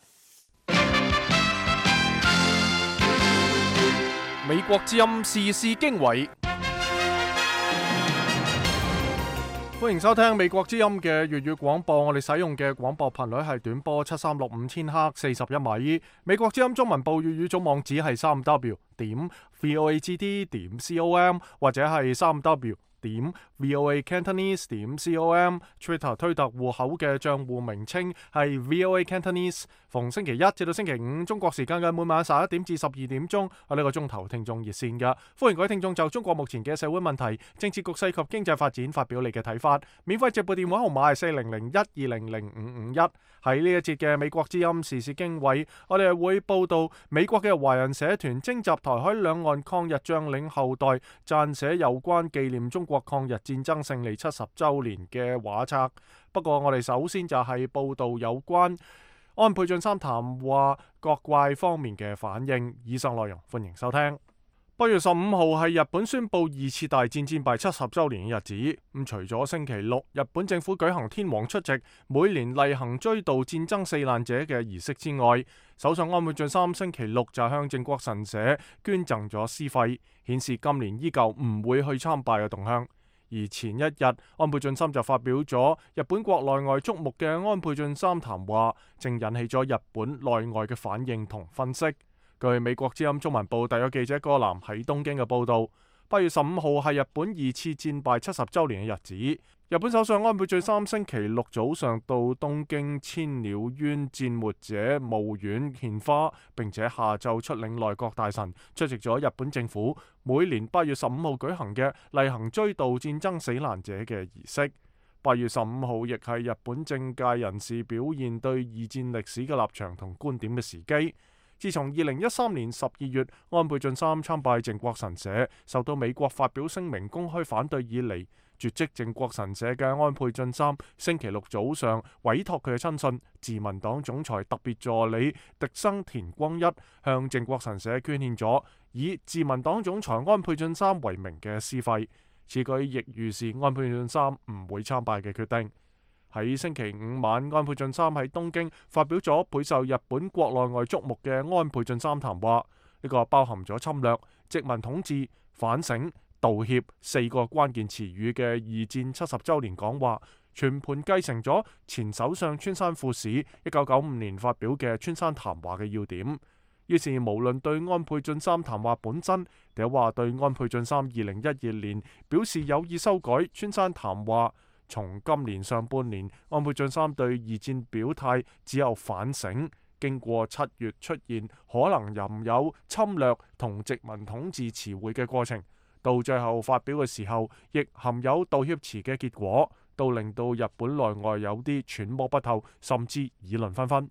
美國之音時事經緯。歡迎收聽美國之音嘅粵語廣播，我哋使用嘅廣播頻率係短波七三六五千赫四十一米。美國之音中文部粵語總網址係三 w 點 voagd 點 com 或者係三 w 點 voa cantonese 點 com。Twitter 推特戶口嘅賬戶名稱係 voa cantonese。逢星期一至到星期五中國時間嘅每晚十一點至十二點鐘，喺呢個鐘頭聽眾熱線嘅，歡迎各位聽眾就中國目前嘅社會問題、政治局勢及經濟發展發表你嘅睇法。免費直播電話號碼係四零零一二零零五五一。喺呢一節嘅美國之音時事經緯，我哋係會報道美國嘅華人社團徵集台海兩岸抗日將領後代撰寫有關紀念中國抗日戰爭勝利七十週年嘅畫冊。不過我哋首先就係報道有關安倍晉三談話各界方面嘅反應。以上內容歡迎收聽。八月十五號係日本宣布二次大戰戰敗七十週年嘅日子。咁除咗星期六日本政府舉行天皇出席每年例行追悼戰爭死難者嘅儀式之外，首相安倍晉三星期六就向靖國神社捐贈咗屍廢，顯示今年依舊唔會去參拜嘅動向。而前一日安倍晉三就發表咗日本國內外矚目嘅安倍晉三談話，正引起咗日本內外嘅反應同分析。據美國之音中文部特約記者戈南喺東京嘅報道，八月十五號係日本二次戰敗七十週年嘅日子。日本首相安倍晉三星期六早上到東京千鳥縣戰沒者墓苑獻花，並且下晝出領內閣大臣出席咗日本政府每年八月十五號舉行嘅例行追悼戰爭死難者嘅儀式。八月十五號亦係日本政界人士表現對二戰歷史嘅立場同觀點嘅時機。自從二零一三年十二月安倍晉三參拜靖國神社，受到美國發表聲明公開反對以嚟，絕跡靖國神社嘅安倍晉三星期六早上委託佢嘅親信自民黨總裁特別助理荻生田光一向靖國神社捐獻咗以自民黨總裁安倍晉三為名嘅屍廢。此舉亦預示安倍晉三唔會參拜嘅決定。喺星期五晚，安倍晉三喺東京發表咗備受日本國內外矚目嘅安倍晉三談話，呢個包含咗侵略、殖民統治、反省、道歉四個關鍵詞語嘅二戰七十週年講話，全盤繼承咗前首相村山富市一九九五年發表嘅村山談話嘅要點。於是無論對安倍晉三談話本身，定話對安倍晉三二零一二年表示有意修改村山談話，從今年上半年安倍晉三對二戰表態只有反省，經過七月出現可能含有侵略同殖民統治詞彙嘅過程，到最後發表嘅時候亦含有道歉詞嘅結果，都令到日本內外有啲揣摩不透，甚至議論紛紛。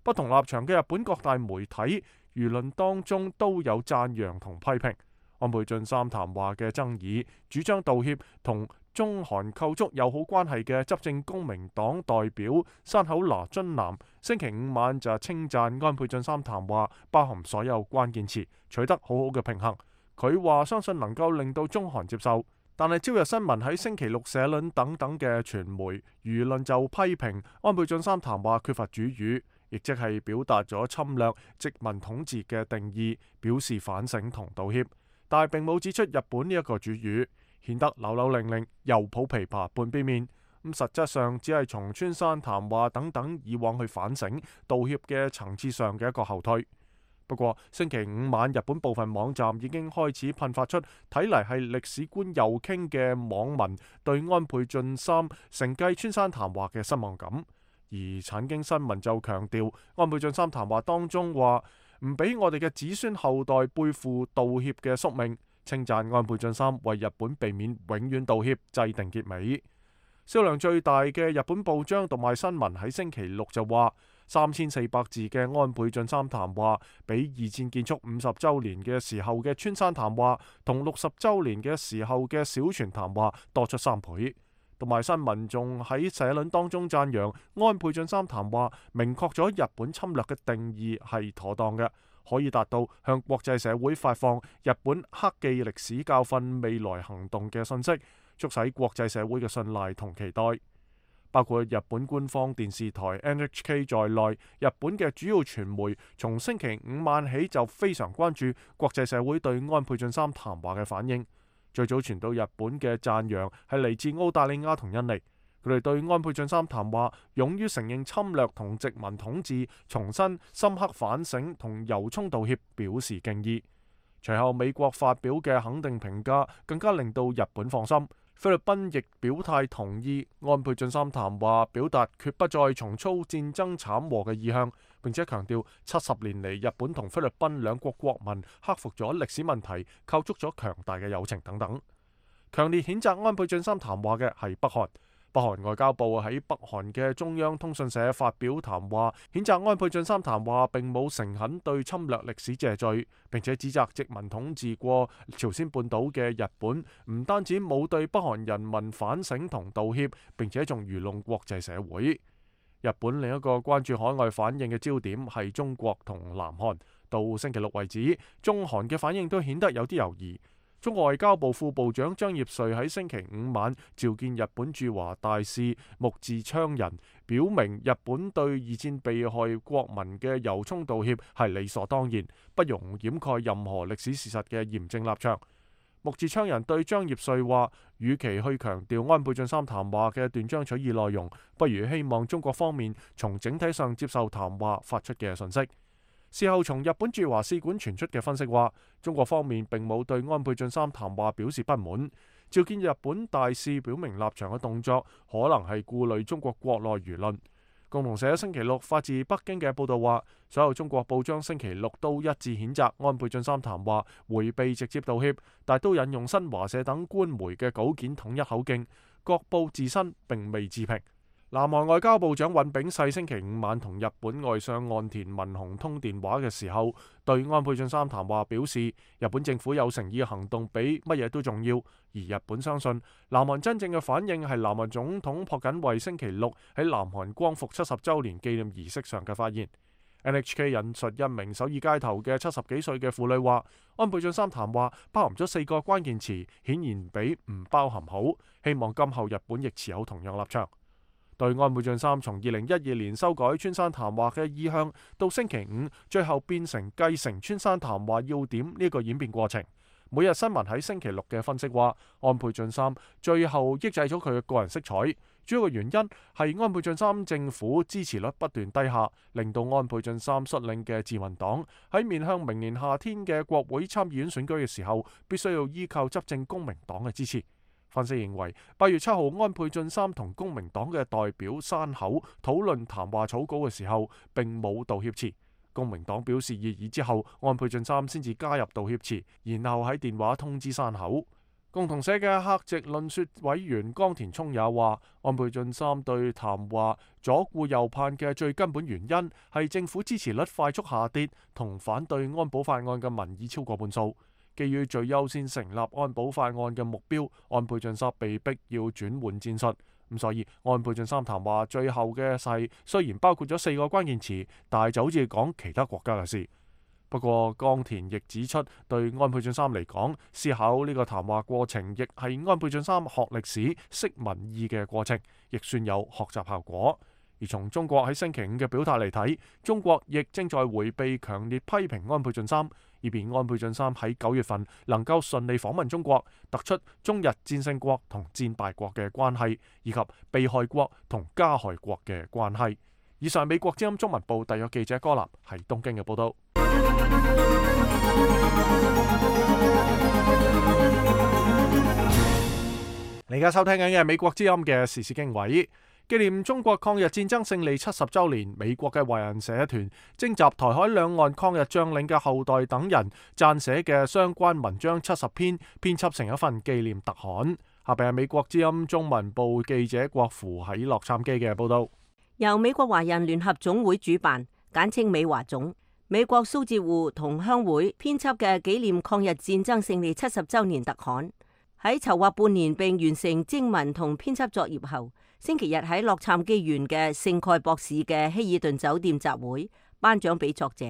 不同立場嘅日本各大媒體輿論當中都有讚揚同批評安倍晉三談話嘅爭議，主張道歉同中韓構築友好關係嘅執政公明黨代表山口那津男星期五晚就稱讚安倍晉三談話包含所有關鍵詞，取得好好嘅平衡。佢話相信能夠令到中韓接受，但係朝日新聞喺星期六社論等等嘅傳媒輿論就批評安倍晉三談話缺乏主語，亦即係表達咗侵略殖民統治嘅定義，表示反省同道歉，但係並冇指出日本呢一個主語，顯得扭扭擰擰，又抱琵琶半邊面。咁實質上只係從村山談話等等以往去反省道歉嘅層次上嘅一個後退。不過星期五晚，日本部分網站已經開始噴發出睇嚟係歷史觀右傾嘅網民對安倍晉三承繼村山談話嘅失望感。而產經新聞就強調，安倍晉三談話當中話唔俾我哋嘅子孫後代背負道歉嘅宿命，稱讚安倍晉三為日本避免永遠道歉制定結尾。銷量最大嘅日本報章讀賣新聞喺星期六就話，三千四百字嘅安倍晉三談話比二戰結束五十週年嘅時候嘅村山談話同六十週年嘅時候嘅小泉談話多出三倍。讀賣新聞仲喺社論當中讚揚安倍晉三談話明確咗日本侵略嘅定義係妥當嘅，可以達到向國際社會發放日本克記歷史教訓未來行動嘅信息，促使國際社會嘅信賴同期待。包括日本官方電視台 N H K 在內，日本嘅主要傳媒從星期五晚起就非常關注國際社會對安倍晉三談話嘅反應。最早傳到日本嘅讚揚係嚟自澳大利亞同印尼，佢哋對安倍晉三談話勇於承認侵略同殖民統治，重新深刻反省同由衷道歉表示敬意。隨後美國發表嘅肯定評價更加令到日本放心。菲律賓亦表態同意安倍晉三談話，表達決不再重蹈戰爭慘禍嘅意向，並且強調七十年嚟日本同菲律賓兩國國民克服咗歷史問題，構築咗強大嘅友情等等。強烈譴責安倍晉三談話嘅係北韓。北韓外交部喺北韓嘅中央通訊社發表談話，譴責安倍晉三談話並冇誠懇對侵略歷史謝罪，並且指責殖民統治過朝鮮半島嘅日本唔單止冇對北韓人民反省同道歉，並且仲愚弄國際社會。日本另一個關注海外反應嘅焦點係中國同南韓。到星期六為止，中韓嘅反應都顯得有啲猶豫。中國外交部副部長張業遂喺星期五晚召見日本駐華大使木寺昌人，表明日本對二戰被害國民嘅由衷道歉係理所當然，不容掩蓋任何歷史事實嘅嚴正立場。木寺昌人對張業遂話，與其去強調安倍晉三談話嘅斷章取義內容，不如希望中國方面從整體上接受談話發出嘅信息。事後從日本駐華使館傳出嘅分析話，中國方面並冇對安倍晉三談話表示不滿，召見日本大使表明立場嘅動作可能係顧慮中國國內輿論。共同社星期六發自北京嘅報道話，所有中國報章星期六都一致譴責安倍晉三談話，迴避直接道歉，但都引用新華社等官媒嘅稿件統一口徑，各報自身並未置評。南韓外交部長尹炳世星期五晚同日本外相岸田文雄通電話嘅時候，對安倍晉三談話表示，日本政府有誠意嘅行動比乜嘢都重要，而日本相信南韓真正嘅反應係南韓總統朴槿惠星期六喺南韓光復七十週年紀念儀式上嘅發言。N H K 引述一名首爾街頭嘅七十幾歲嘅婦女話，安倍晉三談話包含咗四個關鍵詞，顯然比唔包含好，希望今後日本亦持有同樣立場。對安倍晉三從二零一二年修改村山談話嘅意向，到星期五最後變成繼承村山談話要點呢個演變過程，每日新聞喺星期六嘅分析話，安倍晉三最後抑制咗佢嘅個人色彩，主要嘅原因係安倍晉三政府支持率不斷低下，令到安倍晉三率領嘅自民黨喺面向明年夏天嘅國會參議院選舉嘅時候，必須要依靠執政公明黨嘅支持。分析認為，八月七號安倍晉三同公明黨嘅代表山口討論談話草稿嘅時候，並冇道歉詞。公明黨表示異議之後，安倍晉三先至加入道歉詞，然後喺電話通知山口。共同社嘅客席論說委員岡田聰也話，安倍晉三對談話左顧右盼嘅最根本原因係政府支持率快速下跌，同反對安保法案嘅民意超過半數。基於最優先成立安保法案嘅目標，安倍晉三被逼要轉換戰術。咁所以安倍晉三談話最後嘅誓雖然包括咗四個關鍵詞，但係就好似講其他國家嘅事。不過岡田亦指出，對安倍晉三嚟講，思考呢個談話過程亦係安倍晉三學歷史、識民意嘅過程，亦算有學習效果。而從中國喺星期五嘅表態嚟睇，中國亦正在迴避強烈批評安倍晉三，以便安倍晉三喺九月份能夠順利訪問中國，突出中日戰勝國同戰敗國嘅關係，以及被害國同加害國嘅關係。以上美國之音中文部特約記者柯立喺東京嘅報道。你而家收聽緊嘅美國之音嘅時事經緯，紀念中國抗日戰爭勝利七十週年，美國嘅華人社團徵集台海兩岸抗日將領嘅後代等人撰寫嘅相關文章七十篇，編輯成一份紀念特刊。下邊係美國之音中文部記者郭芙喺洛杉磯嘅報道。由美國華人聯合總會主辦，簡稱美華總，美國蘇浙滬同鄉會編輯嘅紀念抗日戰爭勝利七十週年特刊，喺籌劃半年並完成徵文同編輯作業後，星期日喺洛杉磯縣嘅聖蓋博市嘅希爾頓酒店集會頒獎俾作者。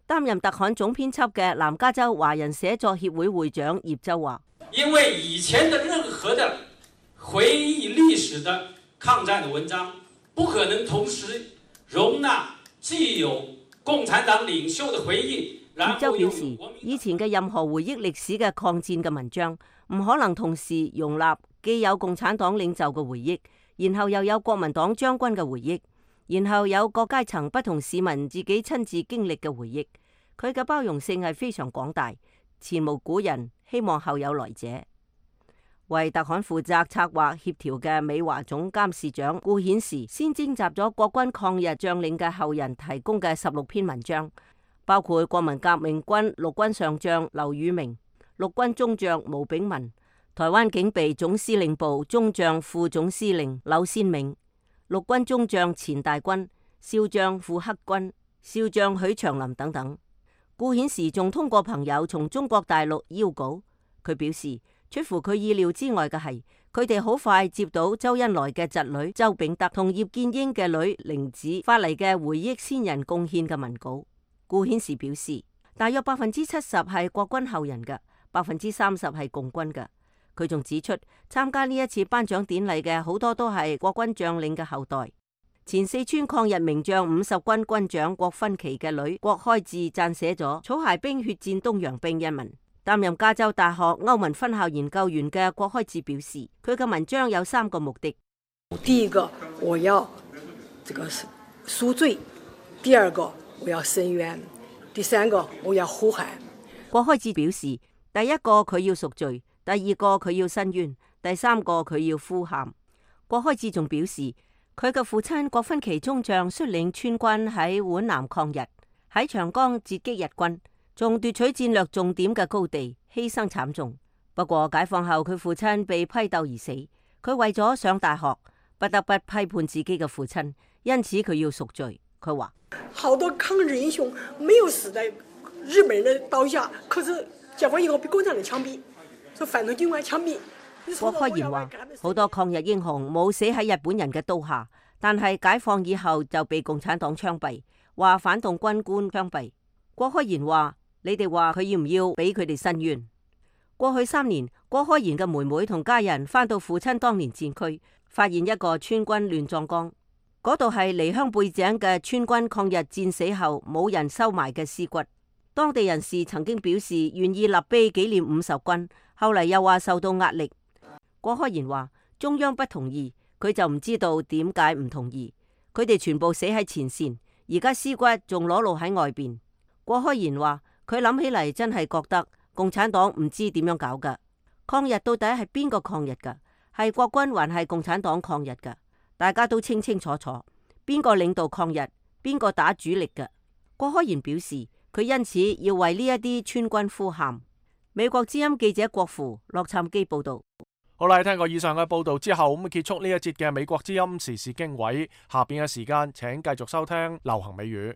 擔任特刊總編輯嘅南加州華人寫作協會會長葉周話：因為以前的任何的回憶歷史的抗戰的文章，不可能同時容納既有共產黨領袖的回憶。葉周表示，以前嘅任何回憶歷史嘅抗戰嘅文章，唔可能同時容納既有共產黨領袖嘅回憶，然後又有國民黨將軍嘅回憶，然後有各階層不同市民自己親自經歷嘅回憶。佢嘅包容性係非常廣大，前無古人，希望後有來者。為特刊負責策劃協調嘅美華總監事長顧顯時，先徵集咗國軍抗日將領嘅後人提供嘅十六篇文章，包括國民革命軍陸軍上將劉宇明、陸軍中將毛炳文、台灣警備總司令部中將副總司令柳先銘、陸軍中將錢大軍、少將傅克軍、少將許長林等等。顧顯時仲通過朋友從中國大陸邀稿，佢表示，出乎佢意料之外嘅係，佢哋好快接到周恩來嘅侄女周秉德同葉劍英嘅女玲子發嚟嘅回憶先人貢獻嘅文稿。顧顯時表示，大約百分之七十係國軍後人嘅，百分之三十係共軍嘅。佢仲指出，參加呢一次頒獎典禮嘅好多都係國軍將領嘅後代。前四川抗日名將五十軍軍長郭芬琪嘅女郭開智撰寫咗《草鞋兵血戰東洋兵》一文。擔任加州大學歐文分校研究員嘅郭開智表示，佢嘅文章有三個目的：第一個，我要這個贖罪；第二個，我要申冤；第三個，我要呼喊。郭開智表示，第一個佢要贖罪，第二個佢要申冤，第三個佢要呼喊。郭開智仲表示，佢嘅父親郭芬琪中將率領川軍喺皖南抗日，喺長江截擊日軍，仲奪取戰略重點嘅高地，犧牲慘重。不過解放後佢父親被批鬥而死，佢為咗上大學，不得不批判自己嘅父親，因此佢要贖罪。佢話：好多抗日英雄沒有死在日本人的刀下，可是解放以後被共產黨槍斃，所以反動軍官槍斃。郭開賢話：好多抗日英雄冇死喺日本人嘅刀下，但係解放以後就被共產黨槍斃，話反動軍官槍斃。郭開賢話：你哋話佢要唔要俾佢哋申冤？過去三年，郭開賢嘅妹妹同家人返到父親當年戰區，發現一個川軍亂葬崗，嗰度係離鄉背井嘅川軍抗日戰死後冇人收埋嘅屍骨。當地人士曾經表示願意立碑紀念五十軍，後嚟又話受到壓力。郭開賢話中央不同意，佢就唔知道點解唔同意。佢哋全部死喺前線，而家屍骨仲裸露喺外邊。郭開賢話佢諗起嚟真係覺得共產黨唔知點樣搞噶。抗日到底係邊個抗日噶？係國軍還係共產黨抗日噶？大家都清清楚楚，邊個領導抗日，邊個打主力噶？郭開賢表示佢因此要為呢一啲川軍呼喊。美國之音記者郭芙洛杉磯報道。好啦，聽過以上嘅報道之後，咁結束呢一節嘅美國之音時事經緯。下邊嘅時間，請繼續收聽流行美語。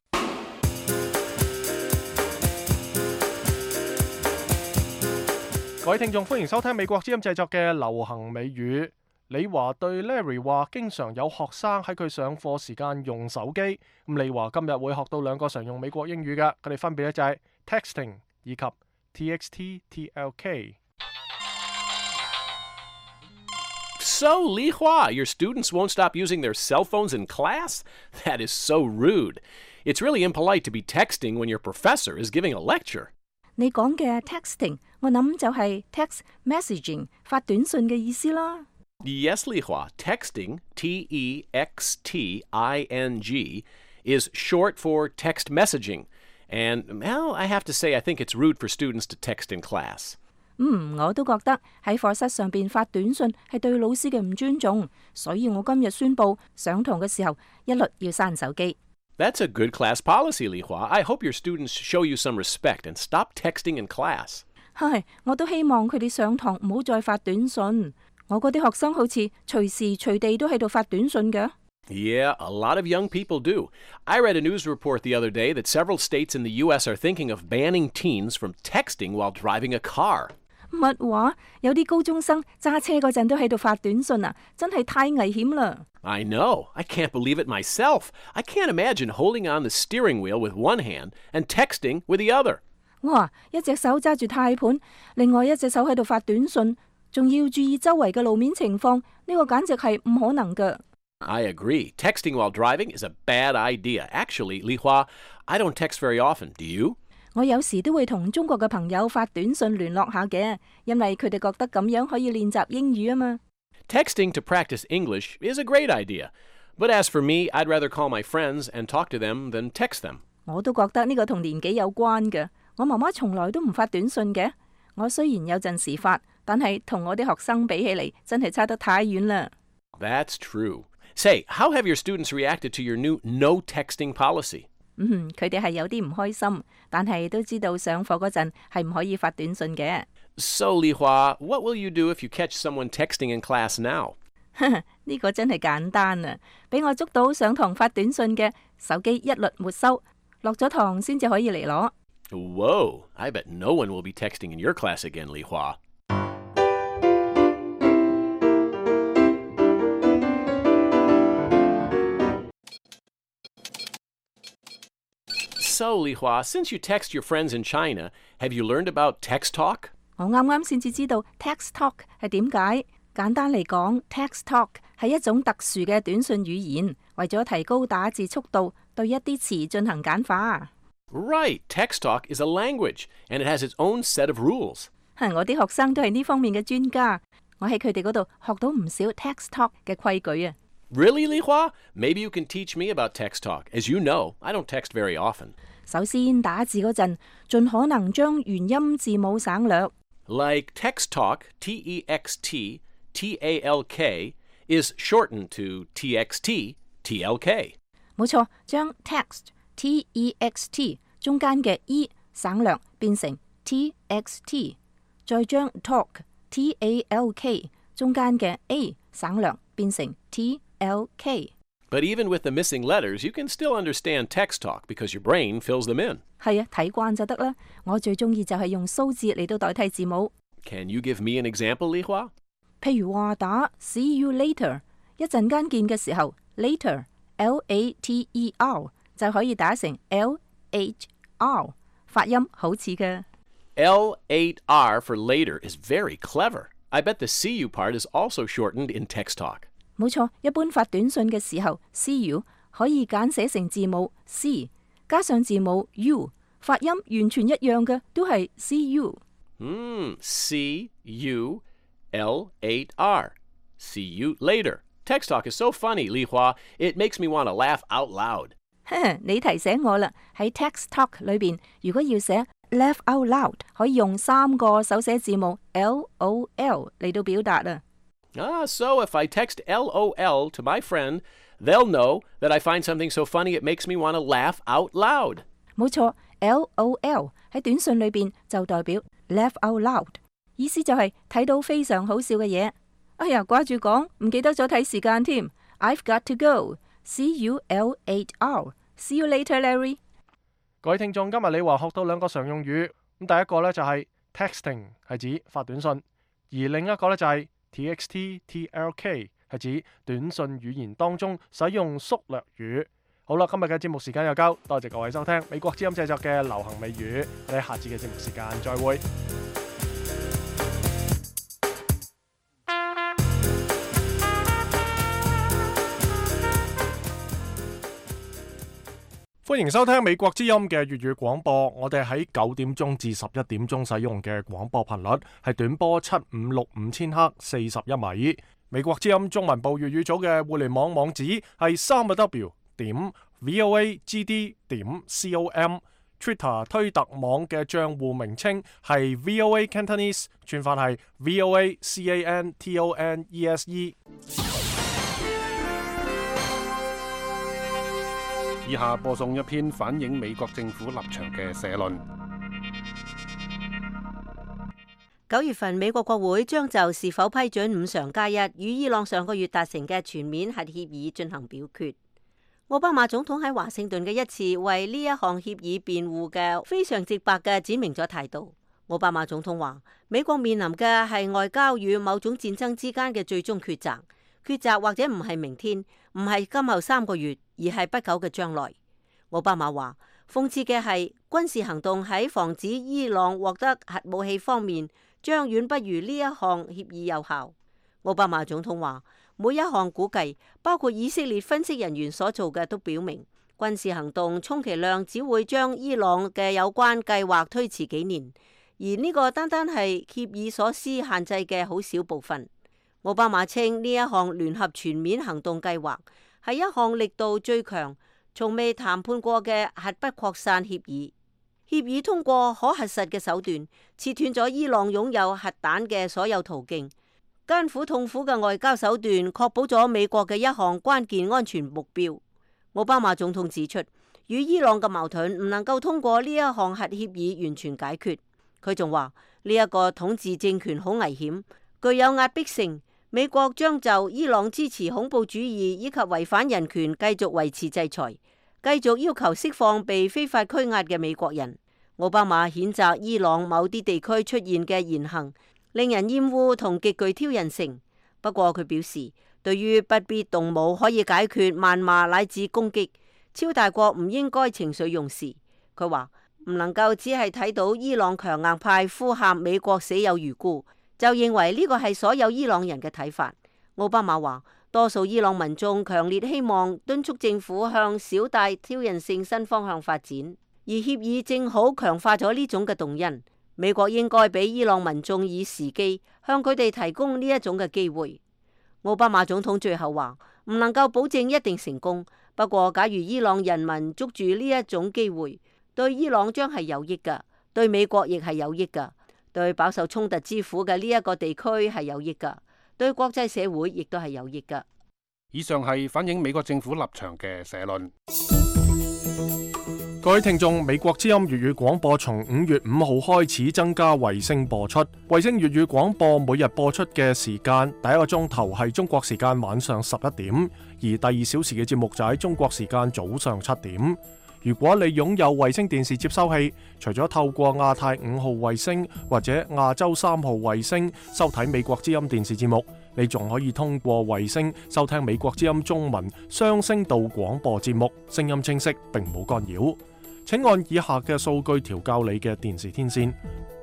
各位聽眾，歡迎收聽美國之音製作嘅流行美語。李華對 Larry 話，經常有學生喺佢上課時間用手機。咁李華今日會學到兩個常用美國英語嘅，佢哋分別咧就係 texting 以及 txt T L K。So, Li Hua, your students won't stop using their cell phones in class? That is so rude. It's really impolite to be texting when your professor is giving a lecture. 你講嘅 texting， 我諗就係 text messaging 發短信嘅意思啦。Yes, Li Hua. Texting, T E X T I N G, is short for text messaging. And, well, I have to say I think it's rude for students to text in class. 嗯，我都覺得喺課室上邊發短信係對老師嘅唔尊重，所以我今日宣布上堂嘅時候一律要閂手機。That's a good class policy, Li Hua. I hope your students show you some respect and stop texting in class. 係，我都希望佢哋上堂唔好再發短信。我嗰啲學生好似隨時隨地都喺度發短信嘅。Yeah, a lot of young people do. I read a news report the other day that several states in the U S are thinking of banning teens from texting while driving a car. 乜話？有啲高中生揸車嗰陣都喺度發短信啊，真係太危險啦！ I know. I can't believe it myself. I can't imagine holding on the steering wheel with one hand and texting with the other. 哇！一隻手揸住軚盤，另外一隻手喺度發短信，仲要注意周圍嘅路面情況，呢個簡直係唔可能㗎。I agree. Texting while driving is a bad idea. Actually, Li Hua, I don't text very often. Do you? 我有時都會同中國嘅朋友發短信聯絡下嘅，因為佢哋覺得咁樣可以練習英語啊嘛。Texting to practice English is a great idea. But as for me, I'd rather call my friends and talk to them than text them. 我都覺得呢個同年紀有關嘅。我媽媽從來都唔發短信嘅。我雖然有陣時發，但係同我啲學生比起嚟，真係差得太遠啦。That's true. Say, how have your students reacted to your new no texting policy? 嗯，佢哋係有啲唔開心，但係都知道上課嗰陣係唔可以發短信嘅。So, Li Hua, what will you do if you catch someone texting in class now? 呢個真係簡單啊！俾我捉到上堂發短信嘅，手機一律沒收，落咗堂先至可以嚟攞。Whoa, I bet no one will be texting in your class again, Li Hua. So, Li Hua, since you text your friends in China, have you learned about text talk? 我啱啱先至知道 text talk 係點解。簡單嚟講 ，text talk 係一種特殊嘅短信語言，為咗提高打字速度，對一啲詞進行簡化。Right, text talk is a language, and it has its own set of rules. 係我啲學生都係呢方面嘅專家，我喺佢哋嗰度學到唔少 text talk 嘅規矩啊。Really, Li Hua? Maybe you can teach me about text talk. As you know, I don't text very often. 首先打字嗰陣，盡可能將元音字母省略。Like text talk, T E X T, T A L K, is shortened to T X T, T L K. 冇錯，將 text, T E X T 中間嘅 E 省略變成 T X T， 再將 talk, T A L K 中間嘅 A 省略變成 T L K。But even with the missing letters, you can still understand text talk because your brain fills them in. 係啊，睇慣就得啦。我最中意就係用數字嚟到代替字母。Can you give me an example, Li Hua? 譬如話打 See you later， 一陣間見嘅時候 later L A T E R 就可以打成 L H R， 發音好似嘅。L eight R for later is very clever. I bet the see you part is also shortened in text talk. 冇錯，一般發短信嘅時候 see you 可以簡寫成字母 C 加上字母 U， 發音完全一樣嘅，都係 see you。嗯 C U L eight R. See you later. Text talk is so funny, Li Hua. It makes me want to laugh out loud. 你提醒我啦，喺 text talk 裏邊，如果要寫 laugh out loud， 可以用三個手寫字母 L O L 嚟到表達啊。Ah, so if I text L O L to my friend, they'll know that I find something so funny it makes me want to laugh out loud. 冇錯 ，L O L 喺短信裏邊就代表 laugh out loud， 意思就係睇到非常好笑嘅嘢。哎呀，掛住講，唔記得咗睇時間添。I've got to go. See you L eight R. See you later, Larry. 各位聽眾，今日你話學到兩個常用語，咁第一個呢就係 texting 係指發短信，而另一個呢就係T X T T L K 係指短信語言當中使用縮略語。好啦，今日嘅節目時間又夠，多謝各位收聽美國之音製作嘅流行美語，我哋下次嘅節目時間再會。歡迎收聽美國之音嘅粵語廣播，我哋喺九點鐘至十一點鐘使用嘅廣播頻率係短波七五六五千赫四十一米。美國之音中文部粵語組嘅互聯網網址係三個 W 點 voagd 點 com，Twitter 推特網嘅賬戶名稱係 V O A Cantonese， 串法係 V O A C A N T O N E S E。以下播送一篇反映美國政府立場嘅社論。九月份，美國國會將就是否批准五常加一與伊朗上個月達成嘅全面核協議進行表決。奧巴馬總統喺華盛頓嘅一次為呢一項協議辯護嘅非常直白嘅展明咗態度。奧巴馬總統話：美國面臨嘅係外交與某種戰爭之間嘅最終抉擇，抉擇或者唔係明天，唔係今後三個月，而係不久嘅將來。奧巴馬話：諷刺嘅係軍事行動喺防止伊朗獲得核武器方面，將遠不如呢一項協議有效。奧巴馬總統話：每一項估計，包括以色列分析人員所做嘅，都表明軍事行動充其量只會將伊朗嘅有關計劃推遲幾年，而呢個單單係協議所施限制嘅好少部分。奧巴馬稱呢一項聯合全面行動計劃係一項力度最強、從未談判過嘅核不擴散協議。協議通過可核實嘅手段，切斷咗伊朗擁有核彈嘅所有途徑。艱苦痛苦嘅外交手段，確保咗美國嘅一項關鍵安全目標。奧巴馬總統指出，與伊朗嘅矛盾唔能夠通過呢一項核協議完全解決。佢仲話呢一個統治政權好危險，具有壓迫性。美國將就伊朗支持恐怖主義以及違反人權繼續維持制裁，繼續要求釋放被非法拘押嘅美國人。奧巴馬譴責伊朗某啲地區出現嘅言行令人厭惡同極具挑釁性。不過佢表示，對於不必動武可以解決謾罵乃至攻擊，超大國唔應該情緒用事。佢話唔能夠只係睇到伊朗強硬派呼喊美國死有餘辜，就認為呢個係所有伊朗人嘅睇法。奧巴馬話，多數伊朗民眾強烈希望敦促政府向小大挑釁性新方向發展。而協議正好強化咗呢種嘅動因，美國應該俾伊朗民眾以時機，向佢哋提供呢一種嘅機會。奧巴馬總統最後話：唔能夠保證一定成功，不過假如伊朗人民捉住呢一種機會，對伊朗將係有益㗎，對美國亦係有益㗎，對飽受衝突之苦嘅呢一個地區係有益㗎，對國際社會亦都係有益㗎。以上係反映美國政府立場嘅社論。各位聽眾，美國之音粵語廣播從五月五號開始增加衛星播出。衛星粵語廣播每日播出嘅時間，第一個鐘頭係中國時間晚上十一點，而第二小時嘅節目就喺中國時間早上七點。如果你擁有衛星電視接收器，除咗透過亞太五號衛星或者亞洲三號衛星收睇美國之音電視節目，你仲可以通過衛星收聽美國之音中文雙聲道廣播節目，聲音清晰並冇干擾。請按以下嘅數據調校你嘅電視天線。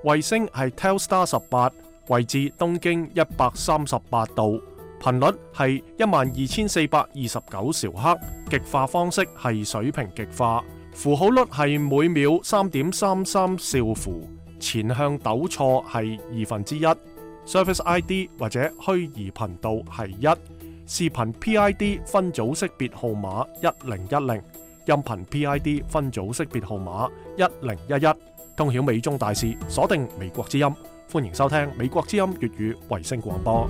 衛星係 Telstar 十八，位置東經一百三十八度，頻率係一萬二千四百二十九兆赫，極化方式係水平極化，符號率係每秒三點三三兆符，前向抖錯係二分之一，Service I D 或者虛擬頻道係一，視頻 P I D 分組識別號碼一零一零。音頻 P I D 分組識別號碼一零一一，通曉美中大事，鎖定美國之音，歡迎收聽美國之音粵語衛星廣播。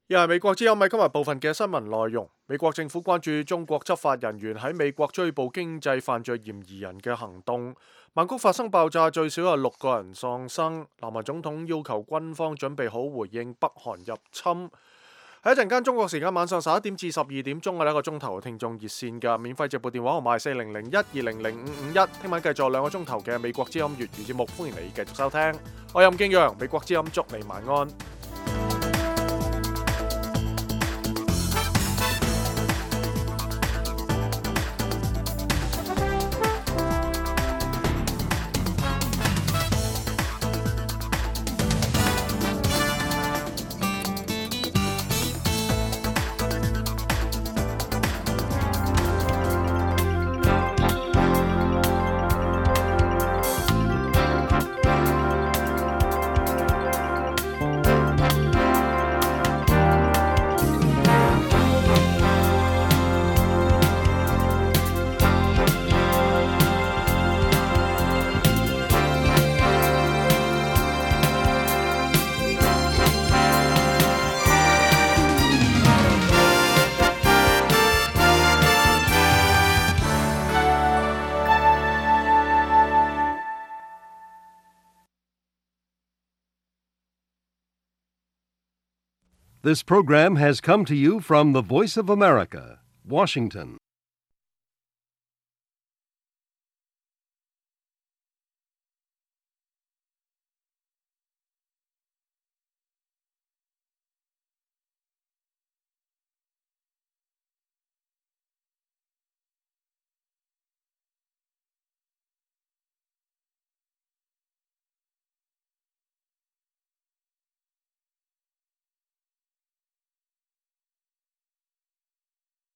又係美國之音喺今日部分嘅新聞內容。美國政府關注中國執法人員喺美國追捕經濟犯罪嫌疑人嘅行動。曼谷發生爆炸，最少有六個人喪生。南韓總統要求軍方準備好回應北韓入侵。喺一陣間中國時間晚上十一點至十二點鐘嘅一個鐘頭嘅聽眾熱線嘅免費直播電話號碼係四零零一二零零五五一。聽晚繼續兩個鐘頭嘅美國之音粵語節目，歡迎你繼續收聽。我係任敬陽，美國之音祝你晚安。This program has come to you from the Voice of America, Washington.